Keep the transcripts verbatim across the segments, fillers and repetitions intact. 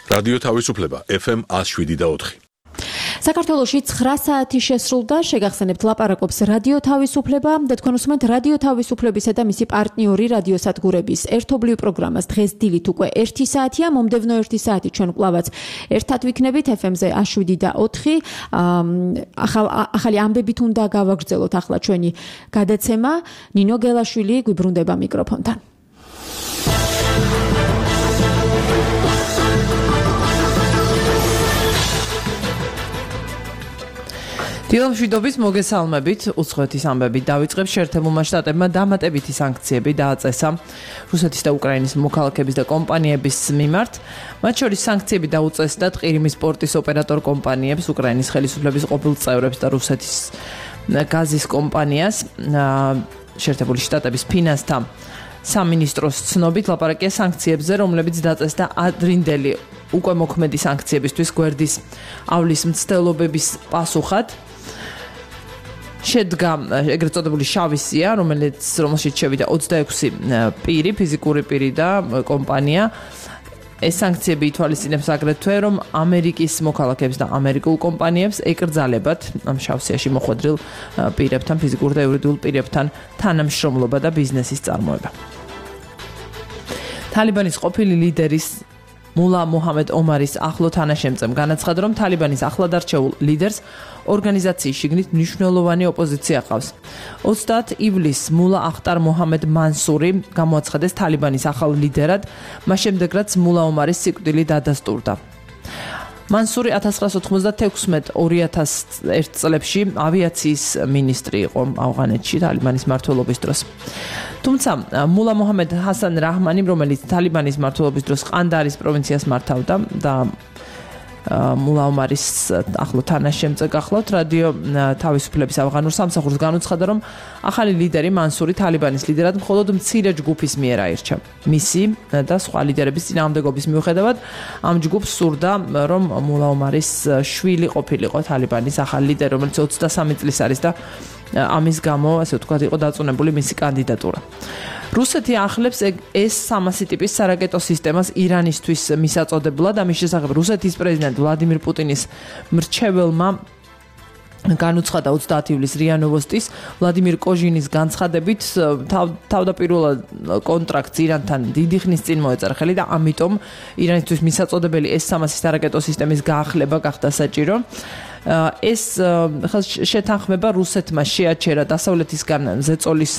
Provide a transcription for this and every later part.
რადიო თავისუფლება ეფ ემ one oh seven და four. საქართველოში ცხრა საათი შესრულდა, შეგახსენებთ ლაპარაკობს რადიო თავისუფლება და თქვენ უსმენთ რადიო თავისუფლებისა და მისი პარტნიორი რადიოსადგურების ერთობლივ პროგრამას. დღეს დილით უკვე ერთი საათია, მომდევნო ერთი საათი ჩვენ კვლავაც ერთად ვიქნებით ეფ ემ-ზე one oh seven და four. ახალი ამბებით უნდა გავაგრძელოთ ახლა ჩვენი გადაცემა. ნინო გელაშვილი გვიბრუნდება მიკროფონთან. დილამშვიდობის მოგესალმებით, უცხოეთის ამბებით დავიწყებ. შეერთებულმა შტატებმა დამატებითი სანქციები დააწესა რუსეთის და უკრაინის მოქალაქეების და კომპანიების მიმართ. მათ შორის სანქციები დაუწესდა ყირიმის პორტის ოპერატორ კომპანიებს, უკრაინის ხელისუფლების ყოფილ წევრებს და რუსეთის გაზის კომპანიას. შეერთებული შტატების ფინანსთა სამინისტროს ცნობით ლაპარაკია სანქციებზე, რომლებიც დაწესდა ადრინდელი უკვე მოქმედი სანქციებისთვის გვერდის ავლის მცდელობების პასუხად. შედგა ეგრეთ წოდებული შავი სია, რომელიც რომელშიც შევიდა ოცდაექვსი პირი, ფიზიკური პირი და კომპანია. ეს სანქციები ითვალისწინებს აგრეთვე, რომ ამერიკის მოქალაქეებს და ამერიკულ კომპანიებს ეკრძალებათ ამ შავ სიაში მოხვედრილ პირებთან, ფიზიკურ და იურიდიულ პირებთან თანამშრომლობა და ბიზნესის წარმოება. თალიბანის ყოფილი ლიდერის მულა მუჰამედ ომარის ახლო თანაშემწემ განაცხადა, რომ თალიბანის ახლად არჩეულ ლიდერს ორგანიზაციის შიგნით მნიშვნელოვანი ოპოზიცია ყავს. ოცდაათი ივლისს მულა ახტარ მუჰამედ მანსური გამოაცხადეს თალიბანის ახალ ლიდერად, მას შემდეგ რაც მულა ომარის სიკვდილი დადასტურდა. მანსური one thousand nine hundred ninety-six two thousand one წლებში ავიაციის მინისტრი იყო ავღანეთში თალიბანის მმართველობის დროს. თუმცა მულა მუჰამედ ჰასან რაჰმანი, რომელიც თალიბანის მმართველობის დროს ყანდარის პროვინციას მართავდა და მულა ომარის ახლო თანაშემწე გახლავთ, რადიო თავისუფლების ავღანურ სამსახურს განუცხადა, რომ ახალი ლიდერი მანსური თალიბანის ლიდერად მხოლოდ მცირე ჯგუფის მიერ აირჩა. მისი და სხვა ლიდერების წინააღმდეგობის მიუხედავად, ამ ჯგუფს სურდა, რომ მულა ომარის შვილი ყოფილიყო თალიბანის ახალი ლიდერი, რომელიც ოცდასამი წლის არის და ამის გამო, ასე ვთქვათ, იყო დაწუნებული მისი კანდიდატურა. რუსეთი ახლებს ეს სამასი ტიპის სარაკეტო სისტემას ირანისთვის მისაწოდებლად. ამის შესახებ რუსეთის პრეზიდენტ ვლადიმირ პუტინის მრჩეველმა განუცხადა ოცდაათი ივლისს რია ნოვოსტის ვლადიმირ კოჟინის განცხადებით, თავდაპირველად კონტრაქტს ირანთან დიდი ხნის წინ მოეწერა ხელი და ამიტომ ირანისთვის მისაწოდებელი ეს სამასი სარაკეტო სისტემის გაახლება გახდა საჭირო. ეს შეთანხმება რუსეთმა შეაჩერა დასავლეთისგან ზეწოლის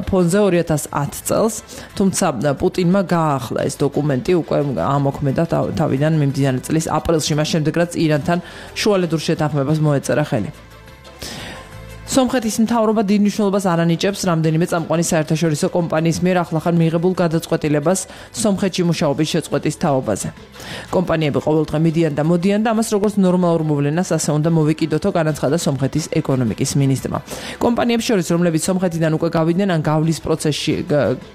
ფონზე two thousand ten წელს, თუმცა პუტინმა გააახლა ეს დოკუმენტი უკვე ამოქმედა თავიდან მიმდინარე წლის აპრილში, მას შემდეგ რაც ირანთან შუალედურ შეთანხმებას მოეწერა ხელი. სომხეთის მთავრობა დიდ მნიშვნელობას არ ანიჭებს რამდენიმე წამყვანი საერთაშორისო კომპანიის მიერ ახლახან მიიღებულ გადაწყვეტილებას სომხეთში მუშაობის შეწყვეტის თაობაზე. კომპანიები ყოველდღე მიდიან და მოდიან და ამას როგორც ნორმალურ მოვლენას ასე უნდა მოვიკიდოთო, განაცხადა სომხეთის ეკონომიკის მინისტრმა. კომპანიებს შორის, რომლებიც სომხეთიდან უკვე გავიდნენ ან გავლის პროცესში,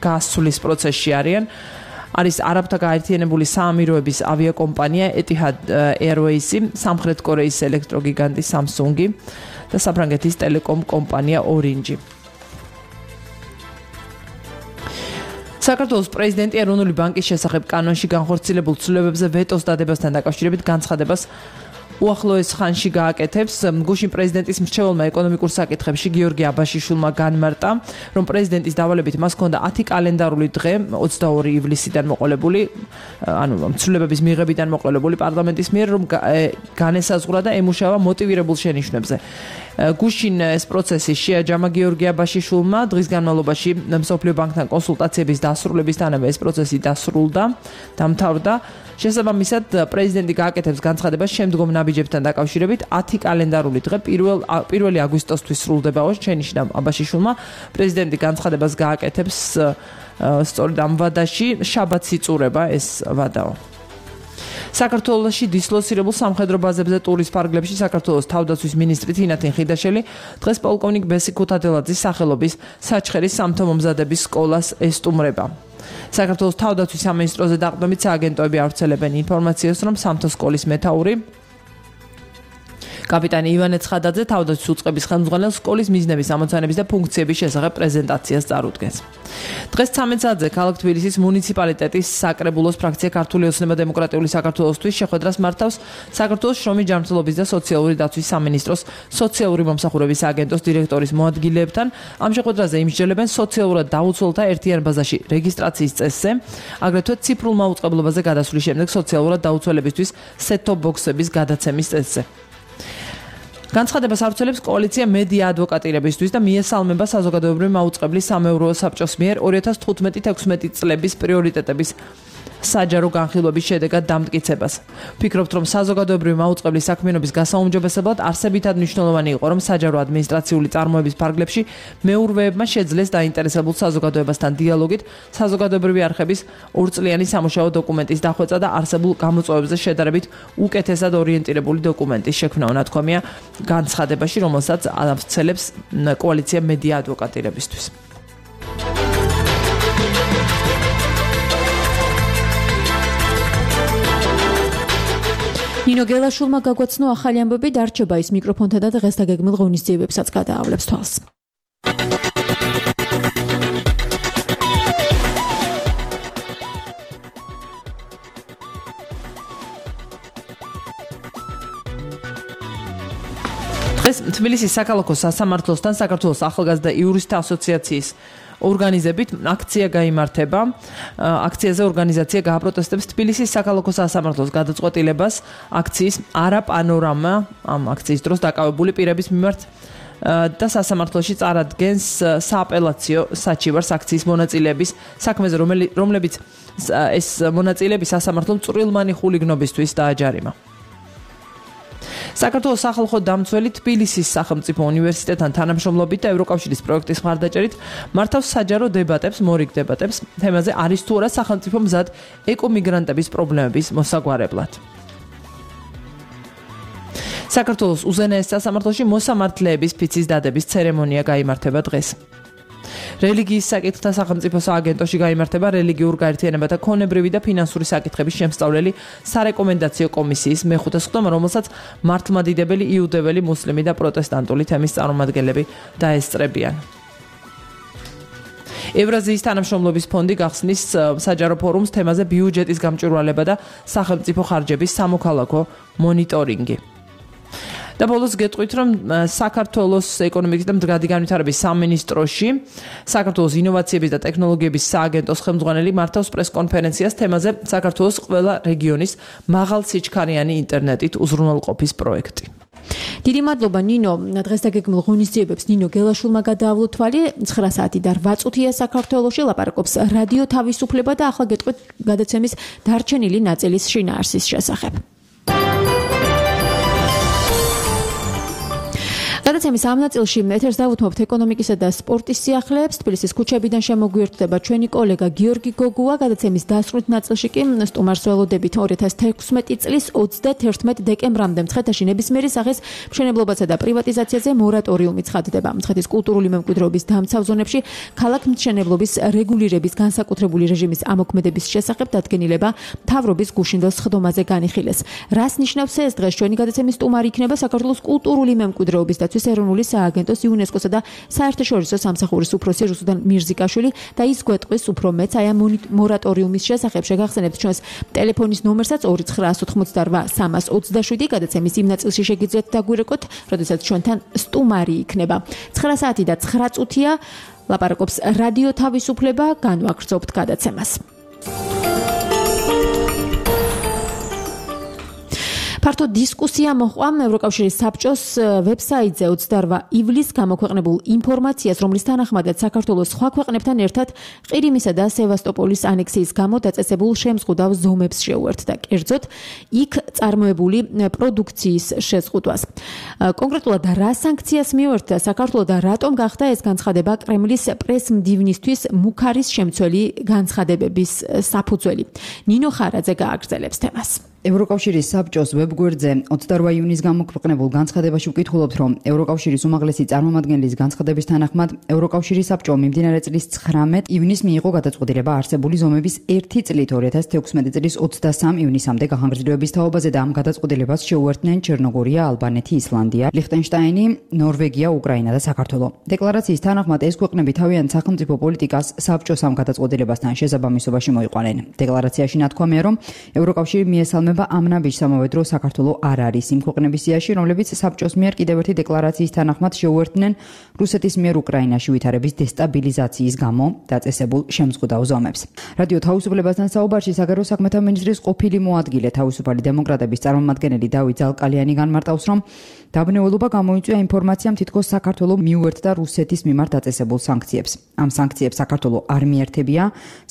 გასვლის პროცესში არიან, არის არაბთა გაერთიანებული საამიროების ავიაკომპანია Etihad Airways, სამხრეთ კორეის ელექტროგიგანტი Samsung და საფრანგეთის ტელეკომ კომპანია Orange. საქართველოს პრეზიდენტი ეროვნული ბანკის შესახებ კანონში განხორციელებულ ცვლილებებზე ვეტოს დადებასთან დაკავშირებით განცხადებას უახლოეს ხანში გააკეთებს. გუშინ პრეზიდენტის მრჩეველმა ეკონომიკურ საკითხებში გიორგი აბაშიშვილმა განმარტა, რომ პრეზიდენტის დავალებით მას ჰქონდა ათი კალენდარული დღე ოცდაორი ივლისიდან მოყოლებული, ანუ ცვლილებების მიღებიდან მოყოლებული პარლამენტის მიერ, რომ განესაზღვრა და ემუშავა მოტივირებულ შენიშვნებზე. გუშინ ეს პროცესი შეაჯამა გიორგი აბაშიშვილმა, დღის განმავლობაში მსოფლიო ბანკთან კონსულტაციების დასრულებისთანავე ეს პროცესი დასრულდა, დამთავრდა. შესაბამისად, პრეზიდენტი გააკეთებს განცხადებას შემდგომ ნაბიჯებთან დაკავშირებით ათი კალენდარული დღე პირველი აგვისტოსთვის სრულდებაო. შენიშნა აბაშიშვილმა, პრეზიდენტი განცხადებას გააკეთებს სწორედ ამ ვადაში, შაბათს იწურება ეს ვადაო. საქართველოში დისლოცირებულ სამხედრო ბაზებზე ტურის ფარგლებში საქართველოს თავდაცვის მინისტრი თინათინ ხიდაშელი დღეს პოლკოვნიკ ბესი ქუთათელაძის სახელობის საჩხერის სამთო-მომზადების სკოლას ესტუმრება. საქართველოს თავდაცვის სამინისტროზე დაყრდნობით სააგენტოები ავრცელებენ ინფორმაციას, რომ სამთო სკოლის მეთაური კაპიტანი ივანე ცხადაძე თავდაცვის უწყების ხელმძღვანელს სკოლის მიზნების, ამოცანების და ფუნქციების შესახებ პრეზენტაციას წარუდგენს. დღეს ცამეტ საათზე ქალაქ თბილისის მუნიციპალიტეტის საკრებულოს ფრაქცია ქართული ოცნება დემოკრატიული საქართველოსთვის შეხვედრას მართავს საქართველოს შრომის ჯანმრთელობის და სოციალური დაცვის სამინისტროს სოციალური მომსახურების აგენტოს დირექტორის მოადგილეებთან. ამ შეხვედრაზე იმსჯელებენ სოციალურად დაუცველთა ერთიან ბაზაში რეგისტრაციის წესზე, აგრეთვე ციფრულ მაუწყებლობაზე გადასვლის შემდეგ სოციალურად დაუცველებისთვის set-top box-ების გადაცემის წესზე. განცხადებას ავრცელებს კოალიცია მედია ადვოკატირებისთვის და მიესალმება საზოგადოებრივი მაუწყებლის სამეურვეო საბჭოს მიერ ორი ათას თხუთმეტი ექვსმეტი წლების პრიორიტეტების საჯარო განხილვების შედეგად დამტკიცებას. ვფიქრობთ, რომ საზოგადოებრივი მაუწყებლის საქმიანობის გასაუმჯობესებლად არსებითად მნიშვნელოვანი იყო, რომ საჯარო ადმინისტრაციული წარმოების ფარგლებში მეურვეებმა შეძლეს დაინტერესებულ საზოგადოებასთან დიალოგით საზოგადოებრივი არხების ორწლიანი სამუშაო დოკუმენტის დახვეწა და არსებულ გამოწვევებზე შედარებით უკეთესად ორიენტირებული დოკუმენტის შექმნა უნათქვამია განცხადებაში, რომელსაც ავრცელებს კოალიცია მედია ადვოკატირებისთვის. ნინო გელაშვილმა გაგვაცნო ახალი ამბები, დარჩება ის მიკროფონთან და დღეს დაგეგმილ ღონისძიებებსაც გადაავლებს თვალს. დღეს თბილისის საქალაქო სასამართლოსთან საქართველოს ახალგაზრდა იურისტთა ასოციაციის ორგანიზებით აქცია გაიმართება. აქციაზე ორგანიზაცია გააპროტესტებს თბილისის საქალაქო სასამართლოს გადაწყვეტილებას აქციის არა პანორამა ამ აქციის დროს დაკავებული პირების მიმართ და სასამართლოში წარადგენს სააპელაციო საჩივარს აქციის მონაწილეების საქმეზე, რომლებიც ეს მონაწილეები სასამართლომ წვრილმანი ხულიგნობისთვის დააჯარიმა. საქართველოს სახალხო დამცველი თბილისის სახელმწიფო უნივერსიტეტთან თანამშრომლობით და ევროკავშირის პროექტის მხარდაჭერით მართავს საჯარო დებატებს, მორიგ დებატებს თემაზე არის თუ არა სახელმწიფო მზად ეკომიგრანტების პრობლემების მოსაგვარებლად. საქართველოს უზენაეს სასამართლოში მოსამართლეების ფიცის დადების ცერემონია გაიმართება დღეს. რელიგიის საკითხთა სახელმწიფო სააგენტოში გაიმართება რელიგიურ გაერთიანებათა ქონებრივი და ფინანსური საკითხების შემსწავლელი სარეკომენდაციო კომისიის მეხუთე სხდომა, რომელსაც მართლმადიდებელი, იუდეველი, მუსლიმი და პროტესტანტული თემის წარმომადგენლები დაესწრებიან. ევრაზიის თანამშრომლობის ფონდი გახსნის საჯარო ფორუმს თემაზე ბიუჯეტის გამჭვირვალება და სახელმწიფო ხარჯების სამოქალაქო მონიტორინგი. და ბოლოს გეტყვით, რომ საქართველოს ეკონომიკის და მდგრადი განვითარების სამინისტროში საქართველოს ინოვაციების და ტექნოლოგიების სააგენტოს ხელმძღვანელი მართავს პრესკონფერენციას თემაზე საქართველოს ყველა რეგიონის მაღალსიჩქარიანი ინტერნეტით უზრუნველყოფის პროექტი. დიდი მადლობა ნინო, დღეს დაგეგმილ ღონისძიებებს ნინო გელაშვილმა გადაავლო თვალი. ცხრა საათი და რვა წუთია საქართველოში ლაპარაკობს რადიო თავისუფლება და ახლა გეტყვით გადაცემის დარჩენილი ნაწილის შინაარსის შესახებ. გადაცემის ამ ნაწილში ეთერს დავუთმობთ ეკონომიკისა და სპორტის სიახლეებს. თბილისის ქუჩებიდან შემოგვიერთდება ჩვენი კოლეგა გიორგი გოგუა. გადაცემის დასრულით ნაწილში კი სტუმარს ველოდებით ორი ათას თექვსმეტი წლის ოცდაათი დეკემბრამდე მცხეთაში ნებისმიერი სახის მშენებლობასა და პრივატიზაციაზე მორატორიუმი ცხადდება. მცხეთის კულტურული მემკვიდრეობის დამცავ ზონებში ქალაქმშენებლობის რეგულირების განსაკუთრებული რეჟიმის ამოქმედების შესახებ დადგენილება მთავრობის გუშინდელ სხდომაზე განიხილეს. რას ნიშნავს ეს? დღეს ჩვენი გადაცემის სტუმარი იქნება საქართველოს კულტურული მემკვიდრეობის ეროვნული სააგენტოს იუნესკოსა და საერთაშორისო სამსახურის უფროსი რუსუდან მირზიკაშვილი და ის გვეტყვის უფრო მეც აი ამ მორატორიუმის შესახებ. შეგახსენებთ ჩვენს ტელეფონის ნომერსაც ორი ცხრაასი ოცდარვა სამას ოცდაშვიდი. გადაცემის იმ ნაწილში შეგიძლიათ დაგვირეკოთ, როდესაც ჩვენთან სტუმარი იქნება. ცხრა საათი და ცხრა წუთია ლაპარაკობს რადიო თავისუფლება, განვაგრძობთ გადაცემას. ფართო დისკუსია მოჰყვა ევროკავშირის საბჭოს ვებსაიტზე ოცდარვა ივლისს გამოქვეყნებულ ინფორმაციას, რომლის თანახმადაც საქართველოს სხვა ქვეყნებთან ერთად ყირიმისა და სევასტოპოლის ანექსიის გამო დაწესებულ შემზღუდავ ზომებს შეუერთდა, კერძოდ იქ წარმოებული პროდუქციის შეზღუდვას. კონკრეტულად რა სანქციას მიუერთდა საქართველოს და რატომ გახდა ეს განცხადება კრემლის პრესმდივნისთვის მუქარის შემცველი განცხადებების საფუძველი. ნინო ხარაძე გააგრძელებს თემას. ევროკავშირის საბჭოს ვებგვერდზე ოცდაოთხ იუნის გამოქვეყნებულ განცხადებაში ვკითხულობთ, რომ ევროკავშირის უმაღლესი წარმომადგენლის განცხადების თანახმად ევროკავშირის საბჭომ მიმდინარე წლის ცხრამეტ ივნისს მიიღო გადაწყვეტილება არსებული ზომების ერთი წლით ორი ათას თექვსმეტი წლის ოცდასამ ივნისამდე გახანგრძლივების თაობაზე და ამ გადაწყვეტილებას შეუერთდნენ ჩერნოგორია, ალბანეთი, ისლანდია, ლიხტენშტაინი, ნორვეგია, უკრაინა და საქართველო. დეკლარაციის თანახმად ეს ქვეყნები თავიანთ სახელმწიფო პოლიტიკას საბჭოს ამ გადაწყვეტილებასთან შესაბამისობაში მოიყვანენ. დეკლარაციაში ნათქვამია, რომ ევროკავშირი მიესალმება ამ ნაბიჯს, ამავე დროს საქართველო არ არის იმ ქვეყნების სიაში, რომლებიც საბჭოს მიერ კიდევ ერთი დეკლარაციის თანახმად შეუერთდნენ რუსეთის მიერ უკრაინაში ვითარების დესტაბილიზაციის გამო დაწესებულ შემზღუდავ ზომებს. რადიო თავისუფლებასთან საუბარში საგარეო საქმეთა მინისტრის ყოფილი მოადგილე თავისუფალი დემოკრატების წარმომადგენელი დავით ზალკალიანი განმარტავს, რომ დაბნეულობა გამოიწვია ინფორმაციამ, თითქოს საქართველო მიუერთდა რუსეთის მიმართ დაწესებულ სანქციებს. ამ სანქციებს საქართველო არ მიერთებია,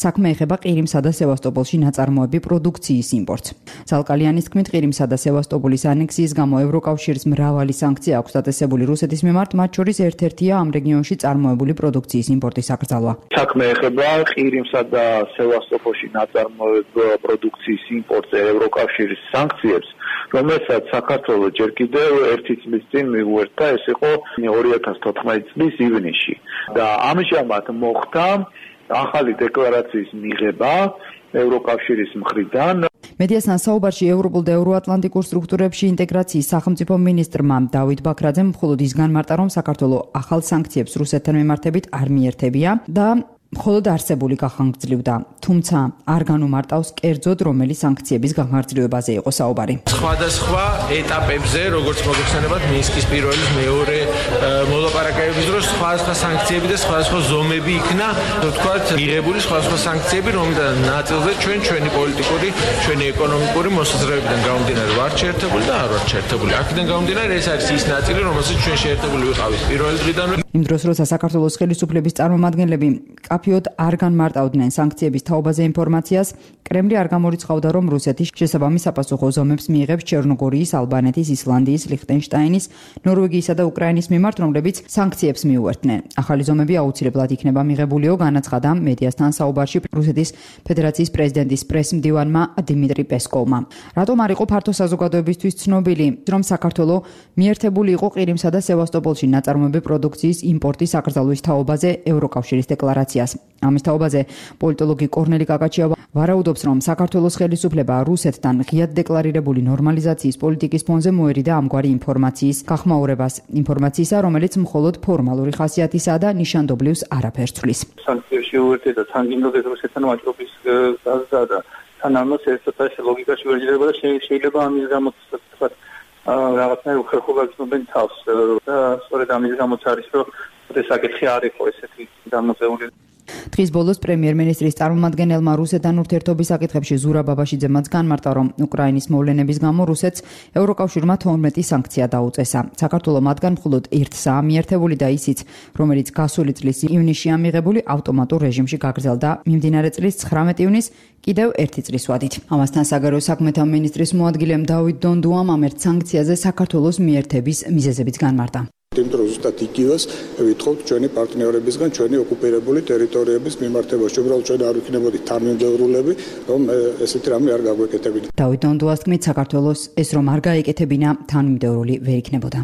საქმე ეხება ყირიმსა და სევასტოპოლში ნაწარმოები პროდუქციის იმპორტს. ზალკალიანის თქმით, ყირიმსა და სევასტოპოლის ანექსიის გამო ევროკავშირს მრავალი სანქცია აქვს დაწესებული რუსეთის მიმართ, მათ შორის ერთ-ერთია ამ რეგიონში წარმოებული პროდუქციის იმპორტის აკრძალვა. საქმე ეხება ყირიმსა და სევასტოპოლში ნაწარმოები პროდუქციის იმპორტს ევროკავშირის სანქციებს, რომელსაც საქართველო ჯერ კიდევ ერთი წლის წინ მიუერთდა, ეს იყო ორი ათას თოთხმეტი წლის ივნისში. და ამჟამად მოხდა ახალი დეკლარაციის მიღება ევროკავშირის მხრიდან. მედიასთან საუბარში ევროპულ და ევროატლანტიკურ სტრუქტურებში ინტეგრაციის სახელმწიფო მინისტრმა დავით ბაქრაძემ მხოლოდ ის განმარტა, რომ საქართველო ახალ სანქციებს რუსეთთან მიმართებით არ მიერთებია და მხოლოდ არსებული გახანგრძლივდა, თუმცა არ განუმარტავს კერძოდ რომელი სანქციების გახანგრძლივებაზე იყო საუბარი. სხვადასხვა ეტაპებზე, როგორც მოგეხსენებათ, მინსკის პირველი მეორე მოლაპარაკებების დროს სხვადასხვა სანქციები და სხვადასხვა ზომები იქნა, თქვათ, მიღებული სხვადასხვა სანქციები, რომელთა ნაწილზე ჩვენ ჩვენი პოლიტიკური, ჩვენი ეკონომიკური მოსაზრებებიდან გამომდინარე ვართ შეერთებული და არ ვართ შეერთებული. აქედან გამომდინარე ეს არის ის ნაწილი, რომელსაც ჩვენ შეერთებული ვიყავით პირველი დღიდან. იმ დროს, როცა საქართველოს ხელისუფლების წარმომადგენლები კაფიოდ არ განმარტავდნენ სანქციების თაობაზე ინფორმაციას, კრემლი არ გამორიცხავდა, რომ რუსეთი შესაბამის საპასუხო ზომებს მიიღებს ჩერნოგორიის, ალბანეთის, ისლანდიის, ლიხტენშტაინის, ნორვეგიისა და უკრაინის მიმართ, რომლებიც სანქციებს მიუერთდნენ. ახალი ზომები აუცილებლად იქნება მიღებულიო, განაცხადა მედიასთან საუბარში რუსეთის ფედერაციის პრეზიდენტის პრესმდივანმა დიმიტრი პესკოვმა. რატომ არ იყო ფართო საზოგადოებისთვის ცნობილი, რომ საქართველო მიერთებული იყო ყირიმსა და სევასტოპოლში ნაწარმოები პროდუქციის იმპორტის აკრძალვის თაობაზე ევროკავშირის დეკლარაციას. ამის თაობაზე პოლიტოლოგი კორნელი კაკაჩია ვარაუდობს, რომ საქართველოს ხელისუფლება რუსეთთან ღიად დეკლარირებული ნორმალიზაციის პოლიტიკის ფონზე მოერიდა ამგვარი ინფორმაციის გახმაურებას, ინფორმაციისა, რომელიც მხოლოდ ფორმალური ხასიათისაა და ნიშანდობლივს არაფერს ცვლის. სანქციებში უერთდა თანგინდოდეს რუსეთთან ვაჭრობის გაზდა და თან ამას ერთადერთი ლოგიკაში ვერჯდება და შეიძლება ამის გამო თქვა რაღაცნაირ უხერხობა გრძნობენ თავს და სწორედ ამის გამოც არის, რომ ეს საკითხი არ იყო ესეთი გამოწეული. დღის ბოლოს პრემიერ-მინისტრის წარმომადგენელმა რუსეთთან ურთიერთობის საკითხებში ზურა ბაბაშიძემაც განმარტა, რომ უკრაინის მოვლენების გამო რუსეთს ევროკავშირმა თორმეტი სანქცია დაუწესა. საქართველო მათგან მხოლოდ ერთსაა მიერთებული და ისიც, რომელიც გასული წლის ივნისშია მიღებული, ავტომატურ რეჟიმში გაგრძელდა მიმდინარე წლის ცხრამეტ ივნისს კიდევ ერთი წლის ვადით. ამასთან საგარეო საქმეთა მინისტრის მოადგილემ დავით დონდუამ ამ ერთ სანქციაზე საქართველოს მიერთების მიზეზებიც განმარტა. იმიტომ რომ ზუსტად იგივეს ვითხოვთ ჩვენი პარტნიორებისგან ჩვენი ოკუპირებული ტერიტორიების მიმართებაში, უბრალოდ ჩვენ არ ვიქნებოდით თანმიმდევრულები, რომ ესეთი რამე არ გაგვეკეთებინა. დავით დონდუას თქმით, საქართველოს ეს რომ არ გაეკეთებინა, თანმიმდევრული ვერ იქნებოდა.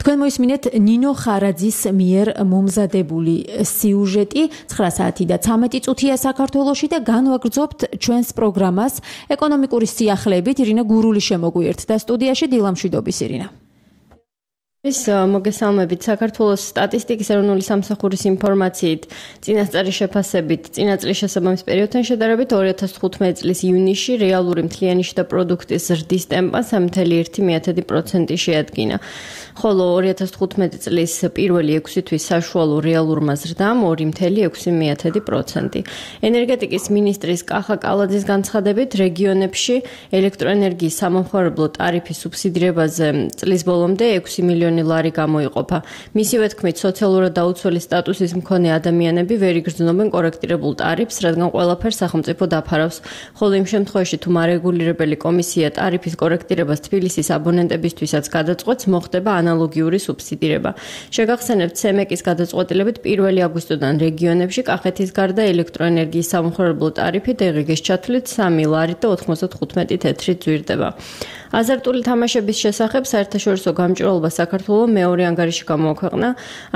თქვენ მოისმინეთ ნინო ხარაძის მიერ მომზადებული სიუჟეტი ცხრა საათი და ცამეტი წუთია საქართველოში და განვაგრძობთ ჩვენს პროგრამას ეკონომიკური სიახლეებით. ირინა გურული შემოგვიერთდა სტუდიაში. დილამშვიდობის ირინა. ის მოგესალმებით. საქართველოს სტატისტიკის ეროვნული სამსახურის ინფორმაციით წინასწარი შეფასებით წინა წლის შესაბამის პერიოდთან შედარებით ორი ათას თხუთმეტი წლის ივნისში რეალური მთლიანი შიდა პროდუქტის ზრდის ტემპა სამი ფاصლე ერთი პროცენტი შეადგინა, ხოლო ორი ათას თხუთმეტი წლის პირველი ექვსი თვის საშუალო რეალურმა ზრდამ ორი ფاصლე ექვსი პროცენტი. ენერგეტიკის მინისტრის კახა კალაძის განცხადებით, რეგიონებში ელექტროენერგიის სამომხმარებლო ტარიფის სუბსიდირებაზე წლის ბოლომდე ექვსი მილიონი მილიონი ლარი გამოიყოფა. მისივე თქმით, სოციალურად დაუცველი სტატუსის მქონე ადამიანები ვერ იგრძნობენ კორექტირებულ ტარიფს, რადგან ყველაფერს სახელმწიფო დაფარავს. ხოლო იმ შემთხვევაში, თუ მარეგულირებელი კომისია ტარიფის კორექტირებას თბილისის აბონენტებისთვისაც გადაწყვეტს, მოხდება ანალოგიური სუბსიდირება. შეგახსენებთ, ცემეკის გადაწყვეტილებით პირველი აგვისტოდან რეგიონებში კახეთის გარდა ელექტროენერგიის სამხმარებლო ტარიფი დღგ-ის ჩათვლით სამი ლარით და ოთხმოცდათხუთმეტი თეთრით ძვირდება. აზარტული თამაშების შესახებ საერთაშორისო გამჭვირვალობა საქართველოს მეორე ანგარიში გამოაქვეყნა.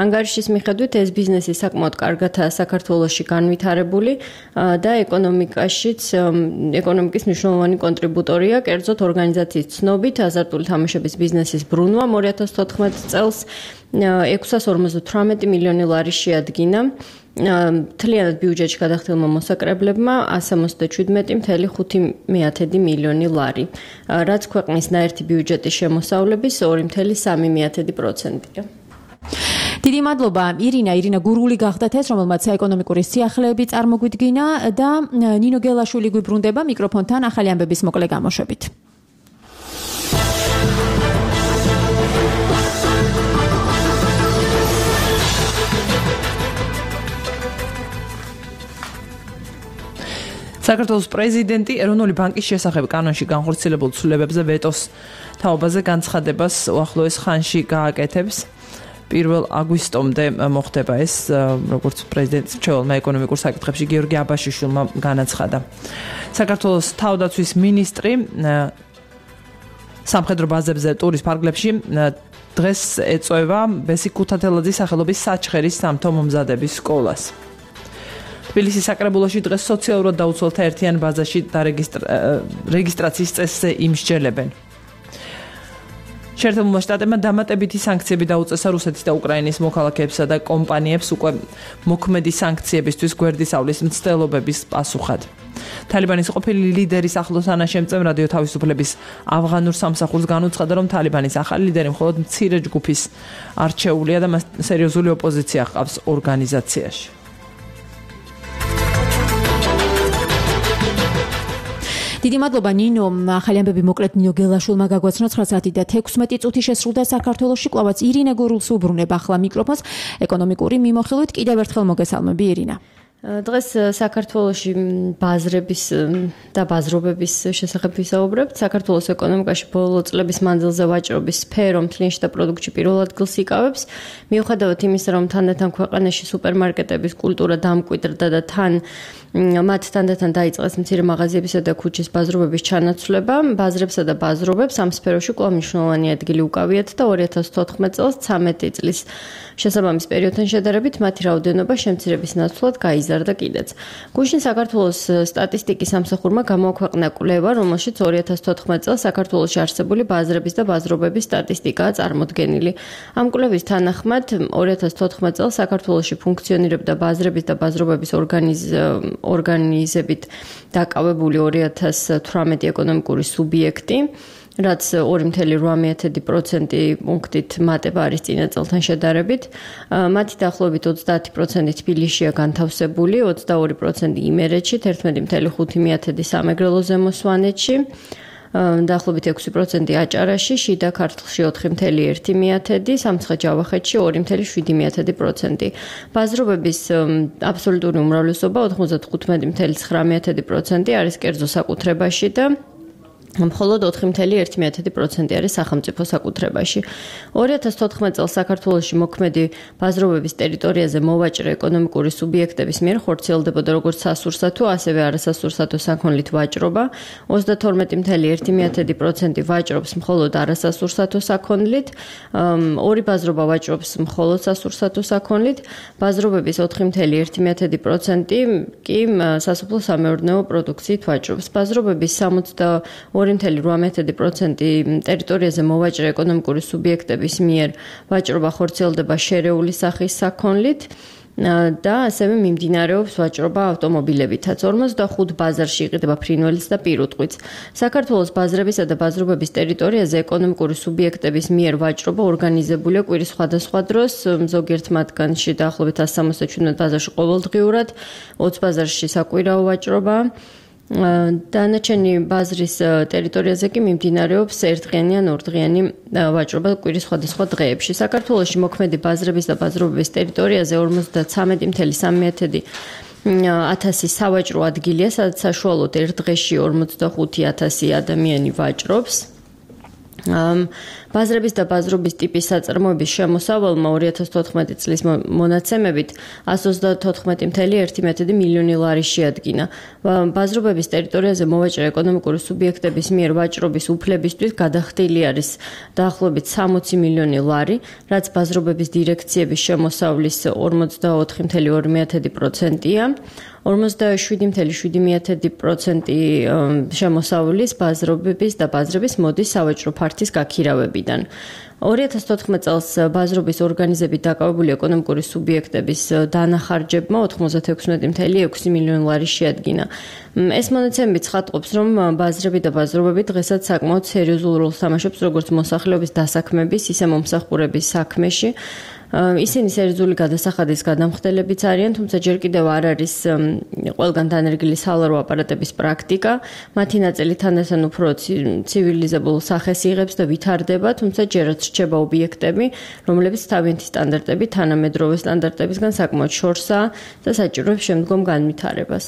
ანგარიშის მიხედვით ეს ბიზნესი საკმაოდ კარგადაა საქართველოში განვითარებული და ეკონომიკაშიც ეკონომიკის მნიშვნელოვანი კონტრიბუტორია. კერძოდ ორგანიზაციის ცნობით აზარტული თამაშების ბიზნესის ბრუნვამ ორი ათას თოთხმეტ წელს ექვსას ორმოცდათვრამეტი მილიონი ლარი შეადგინა. მთლიანად ბიუჯეტში გადახდილმა მოსაკრებლებმა ასი ოცდაშვიდმეტი მცდარი ხუთი მილიონი ლარი, რაც ქვეყნის ნაერთი ბიუჯეტის შემოსავლების ორი მცდარი სამი პროცენტია. დიდი მადლობა ირინა, ირინა გურული გახდათ ეს, რომელმაც ეკონომიკური სიახლეები წარმოგვიდგინა და ნინო გელაშვილი გვიბრუნდება მიკროფონთან ახალი ამბების მოკლე გამოშვებით. საქართველოს პრეზიდენტი ეროვნული ბანკის შესახებ კანონში განხორციელებულ ცვლილებებზე ვეტოს თაობაზე განცხადებას უახლოეს ხანში გააკეთებს. პირველ აგვისტომდე მოხდება ეს, როგორც პრეზიდენტის მრჩეველმა ეკონომიკურ საკითხებში გიორგი აბაშიშვილმა განაცხადა. საქართველოს თავდაცვის მინისტრი სამხედრო ბაზებზე ტურის ფარგლებში დღეს ეწევა ბესიკ ქუთათელაძის სახელობის საჩხერის სამთო მომზადების სკოლას. თბილისის საკრებულოში დღეს სოციალურად დაუცველთა ერთიან ბაზაში რეგისტრაციის წესზე იმსჯელებენ. შეერთებულმა შტატებმა დამატებითი სანქციები დაუწესა რუსეთის და უკრაინის მოქალაქეებსა და კომპანიებს უკვე მოქმედი სანქციებისთვის გვერდისავლის მცდელობების პასუხად. თალიბანის ყოფილი ლიდერის ახლო თანაშემწემ რადიო თავისუფლების ავღანურ სამსახურს განუცხადა, რომ თალიბანის ახალი ლიდერი მხოლოდ მცირე ჯგუფის არჩეულია და მას სერიოზული ოპოზიცია ჰყავს ორგანიზაციაში. დიდი მადლობა ნინო, ახალი ამბები მოკლედ ნინო გელაშვილმა გაგვაცნო ცხრა საათი და თექვსმეტი წუთი შესრულდა საქართველოში. კვლავაც ირინა გურულს უბრუნებ ახლა მიკროფონს ეკონომიკური მიმოხილვით. კიდევ ერთხელ მოგესალმები ირინა. დღეს საქართველოში ბაზრების და ბაზრობების შესახებ ვისაუბრებთ. საქართველოს ეკონომიკაში ბოლო წლების მანძილზე ვაჭრობის სფერო მთლიანში და პროდუქტში პირველ ადგილს იკავებს. მიუხედავად იმისა, რომ თანდათან ქვეყანაში სუპერმარკეტების კულტურა დამკვიდრდა და თან მათ თანდათან დაიწყეს მცირე მაღაზიებისა და ქუჩის ბაზრობების ჩანაცვლება, ბაზრებსა და ბაზრობებს ამ სფეროში კვლავ მნიშვნელოვანი ადგილი უკავიათ და ორი ათას თოთხმეტ წელს ცამეტი წლის შესაბამის პერიოდთან შედარებით მათი რაოდენობა შემცირების ნაცვლად გაიზარდა კიდეც. გუშინ საქართველოს სტატისტიკის სამსახურმა გამოაქვეყნა კვლევა, რომელშიც ორი ათას თოთხმეტ წელს საქართველოში არსებული ბაზრების და ბაზრობების სტატისტიკაა წარმოდგენილი. ამ კვლევის თანახმად ორი ათას თოთხმეტ წელს საქართველოში ფუნქციონირებდა ბაზრების და ბაზრობების ორგანიზ ორგანიზებით დაკავებული ორი ათას თვრამეტი ეკონომიკური სუბიექტი, რაც ორი მცდარი რვამე პროცენტი პუნქტით მატება არის წინა წელთან შედარებით. მათი დაახლოებით ოცდაათი პროცენტი თბილისშია განთავსებული, ოცდაორი პროცენტი იმერეთში, თერთმეტი მცდარი ხუთი სამეგრელო ზემო სვანეთში, დაახლოებით ექვსი პროცენტი აჭარაში, შიდა ქართლში ოთხი მცდარი ერთი, სამცხე-ჯავახეთში ორი მცდარი შვიდი პროცენტი. ბაზრობების აბსოლუტური უმრავლესობა ოთხმოცდათხუთმეტი მცდარი ცხრა პროცენტი არის კერძო საკუთრებაში და მხოლოდ ოთხი მცდარი ერთი პროცენტი არის სახელმწიფო საკუთრებაში. ორი ათას თოთხმეტ წელს საქართველოში მოქმედი ბაზრობების ტერიტორიაზე მოვაჭრე ეკონომიკური სუბიექტების მიერ ხორციელდებოდა როგორც სასურსათო, ასევე არასასურსათო საქონლით ვაჭრობა. ოცდათორმეტი მცდარი ერთი პროცენტი ვაჭრობს მხოლოდ არასასურსათო საქონლით, ორი ბაზრობა ვაჭრობს მხოლოდ სასურსათო საქონლით, ბაზრობების ოთხი მცდარი ერთი პროცენტი კი სასოფლო-სამეურნეო პროდუქციით ვაჭრობს. ბაზრობების სამოცდაორი ორი მცდარი რვამე პროცენტი ტერიტორიაზე მოვაჭრე ეკონომიკური სუბიექტების მიერ ვაჭრობა ხორციელდება შერეული სახის საქონლით და ასევე მიმდინარეობს ვაჭრობა ავტომობილებითაც. ორმოცდახუთ ბაზარში იყიდება ფრინველიც და პირუტყვიც. საქართველოს ბაზრებისა და ბაზრობების ტერიტორიაზე ეკონომიკური სუბიექტების მიერ ვაჭრობა ორგანიზებულია კვირის სხვადასხვა დროს, ზოგიერთ მათგანში დაახლოებით ასი ოცდაშვიდმეტ ბაზარში ყოველდღიურად, ოცი ბაზარში საკვირაო ვაჭრობა. დანარჩენი ბაზრის ტერიტორიაზე კი მიმდინარეობს ერთდღიანი ან ორდღიანი ვაჭრობა კვირის სხვადასხვა დღეებში. საქართველოში მოქმედი ბაზრების და ბაზრობების ტერიტორიაზე ორმოცდათვრამეტი целых სამი დесятых ათასი სავაჭრო ადგილია, სადაც საშუალოდ ერთ დღეში ორმოცდახუთი ათასი ადამიანი ვაჭრობს. ბაზრების და ბაზრობის ტიპის საწარმოების შემოსავალმა ორი ათას თოთხმეტი წლის მონაცემებით εκατს ოცდათოთხმეტი целых ერთი დесятых მილიონი ლარი შეადგინა. ბაზრობების ტერიტორიაზე მოვაჭრე ეკონომიკური სუბიექტების მიერ ვაჭრობის უფლებისთვის გადახდილი არის დაახლოებით სამოცი მილიონი ლარი, რაც ბაზრობების დირექციების შემოსავლის ორმოცდაოთხი целых ორი დесятых პროცენტია. ორმოცდაშვიდი целых შვიდი დесятых პროცენტი შემოსავლის ბაზრობების და ბაზრების მოდის სავაჭრო ფართის გაქირავებიდან. ორი ათას თოთხმეტი წელს ბაზრობის ორგანიზებით დაკავებული ეკონომიკური სუბიექტების დანახარჯებმა ოთხმოცდათექვსმეტი целых ექვსი მილიონი ლარი შეადგინა. ეს მონაცემები ცხადყოფს, რომ ბაზრები და ბაზრობები დღესაც საკმაოდ სერიოზულ როლს თამაშობს როგორც მოსახლეობის დასაქმების, ისე მომსახურების საქმეში. ისინი სერიოზული გადასახადის გადამხდელებიც არიან, თუმცა ჯერ კიდევ არ არის ყველგან დანერგილი სალარო აპარატების პრაქტიკა. მათი ნაწილი თანდათან უფრო ცივილიზებულ სახეს იღებს და ვითარდება, თუმცა ჯერაც რჩება ობიექტები, რომლებიც თავიანთი სტანდარტებით თანამედროვე სტანდარტებისგან საკმაოდ შორსაა და საჭიროებს შემდგომ განვითარებას.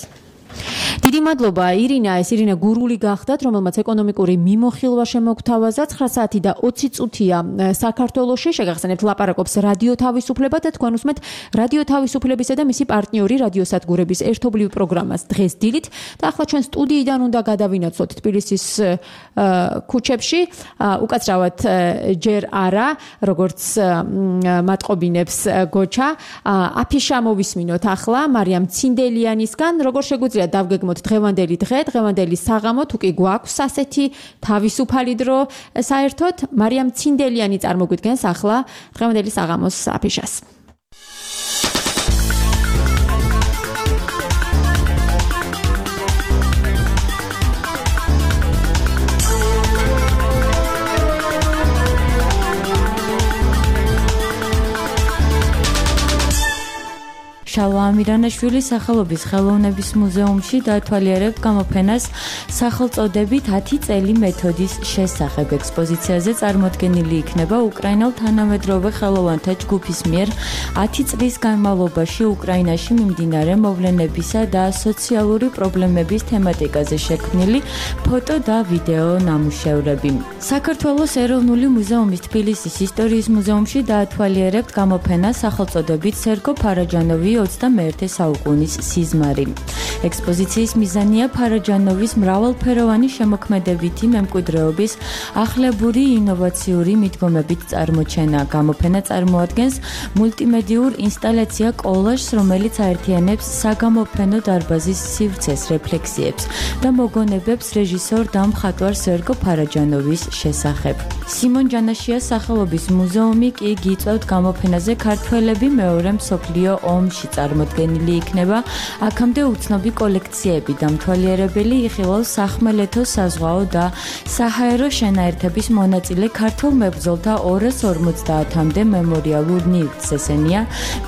დიდი მადლობა ირინა, ეს ირინა გურული გახდათ, რომელმაც ეკონომიკური მიმოხილვა შემოგთავაზა. ცხრა საათი და ოცი წუთია საქართველოში. შეგახსენებთ ლაპარაკობს რადიო თავისუფლება და თქვენ უსმენთ რადიო თავისუფლებისა და მისი პარტნიორი რადიოსადგურების ერთობლივ პროგრამას დღეს დილით. და ახლა ჩვენ სტუდიიდან უნდა გადავინაცვლოთ თბილისის ქუჩებში. უკაცრავად ჯერ არა, როგორც მატყობინებს გოჩა. აფიშა მოვისმინოთ ახლა მარიამ ცინდელიანისგან, როგორ შეგვიძლია დავგეგმოთ დღევანდელი დღე, დღევანდელი საღამო, თუ კი გვაქვს ასეთი თავისუფალი დრო საერთოდ, მარიამ ცინდელიანი წარმოგვიდგენს ახლა დღევანდელი საღამოს აფიშას. შალვა ამირანაშვილი სახელობის ხელოვნების მუზეუმში დაათვალიერებთ გამოფენას სახელწოდებით ათი წელი მეთოდის შესახებ. ექსპოზიციაზე წარმოდგენილი იქნება უკრაინელ თანამედროვე ხელოვანთა ჯგუფის მიერ ათი წლის განმავლობაში უკრაინაში მიმდინარე მოვლენებისა და სოციალური პრობლემების თემატიკაზე შექმნილი ფოტო და ვიდეო ნამუშევრები. საქართველოს ეროვნული მუზეუმის თბილისის ისტორიის მუზეუმში დაათვალიერებთ გამოფენას სახელწოდებით სერგო ფარაჯანოვი ოცდამეერთე საუკუნის სიზმარი. ექსპოზიციის მიზანია ფარაჯანოვის მრავალფეროვანი შემოქმედებითი მემკვიდრეობის ახლებური ინოვაციური მიდგომებით წარმოჩენა. გამოფენა წარმოადგენს მულტიმედიურ ინსტალაცია კოლაჟს, რომელიც აერთიანებს საგამოფენო დარბაზის სივრცეს, რეფლექსიებს და მოგონებებს რეჟისორ და მხატვარ სერგო ფარაჯანოვის შესახებ. სიმონ ჯანაშიას სახელობის მუზეუმი კი გიწევთ გამოფენაზე ქართველები მეორე მსოფლიო ომში წარმოდგენილი იქნება. აქამდე უცნობი კოლექციები დამთვალიერებელი იხილავს სახმელეთო, საზღვაო და საჰაერო შენაერთების მონაწილე ქართულ მებრძოლთა ორას ორმოცდაათამდე მემორიალურ ნივთს. ესენია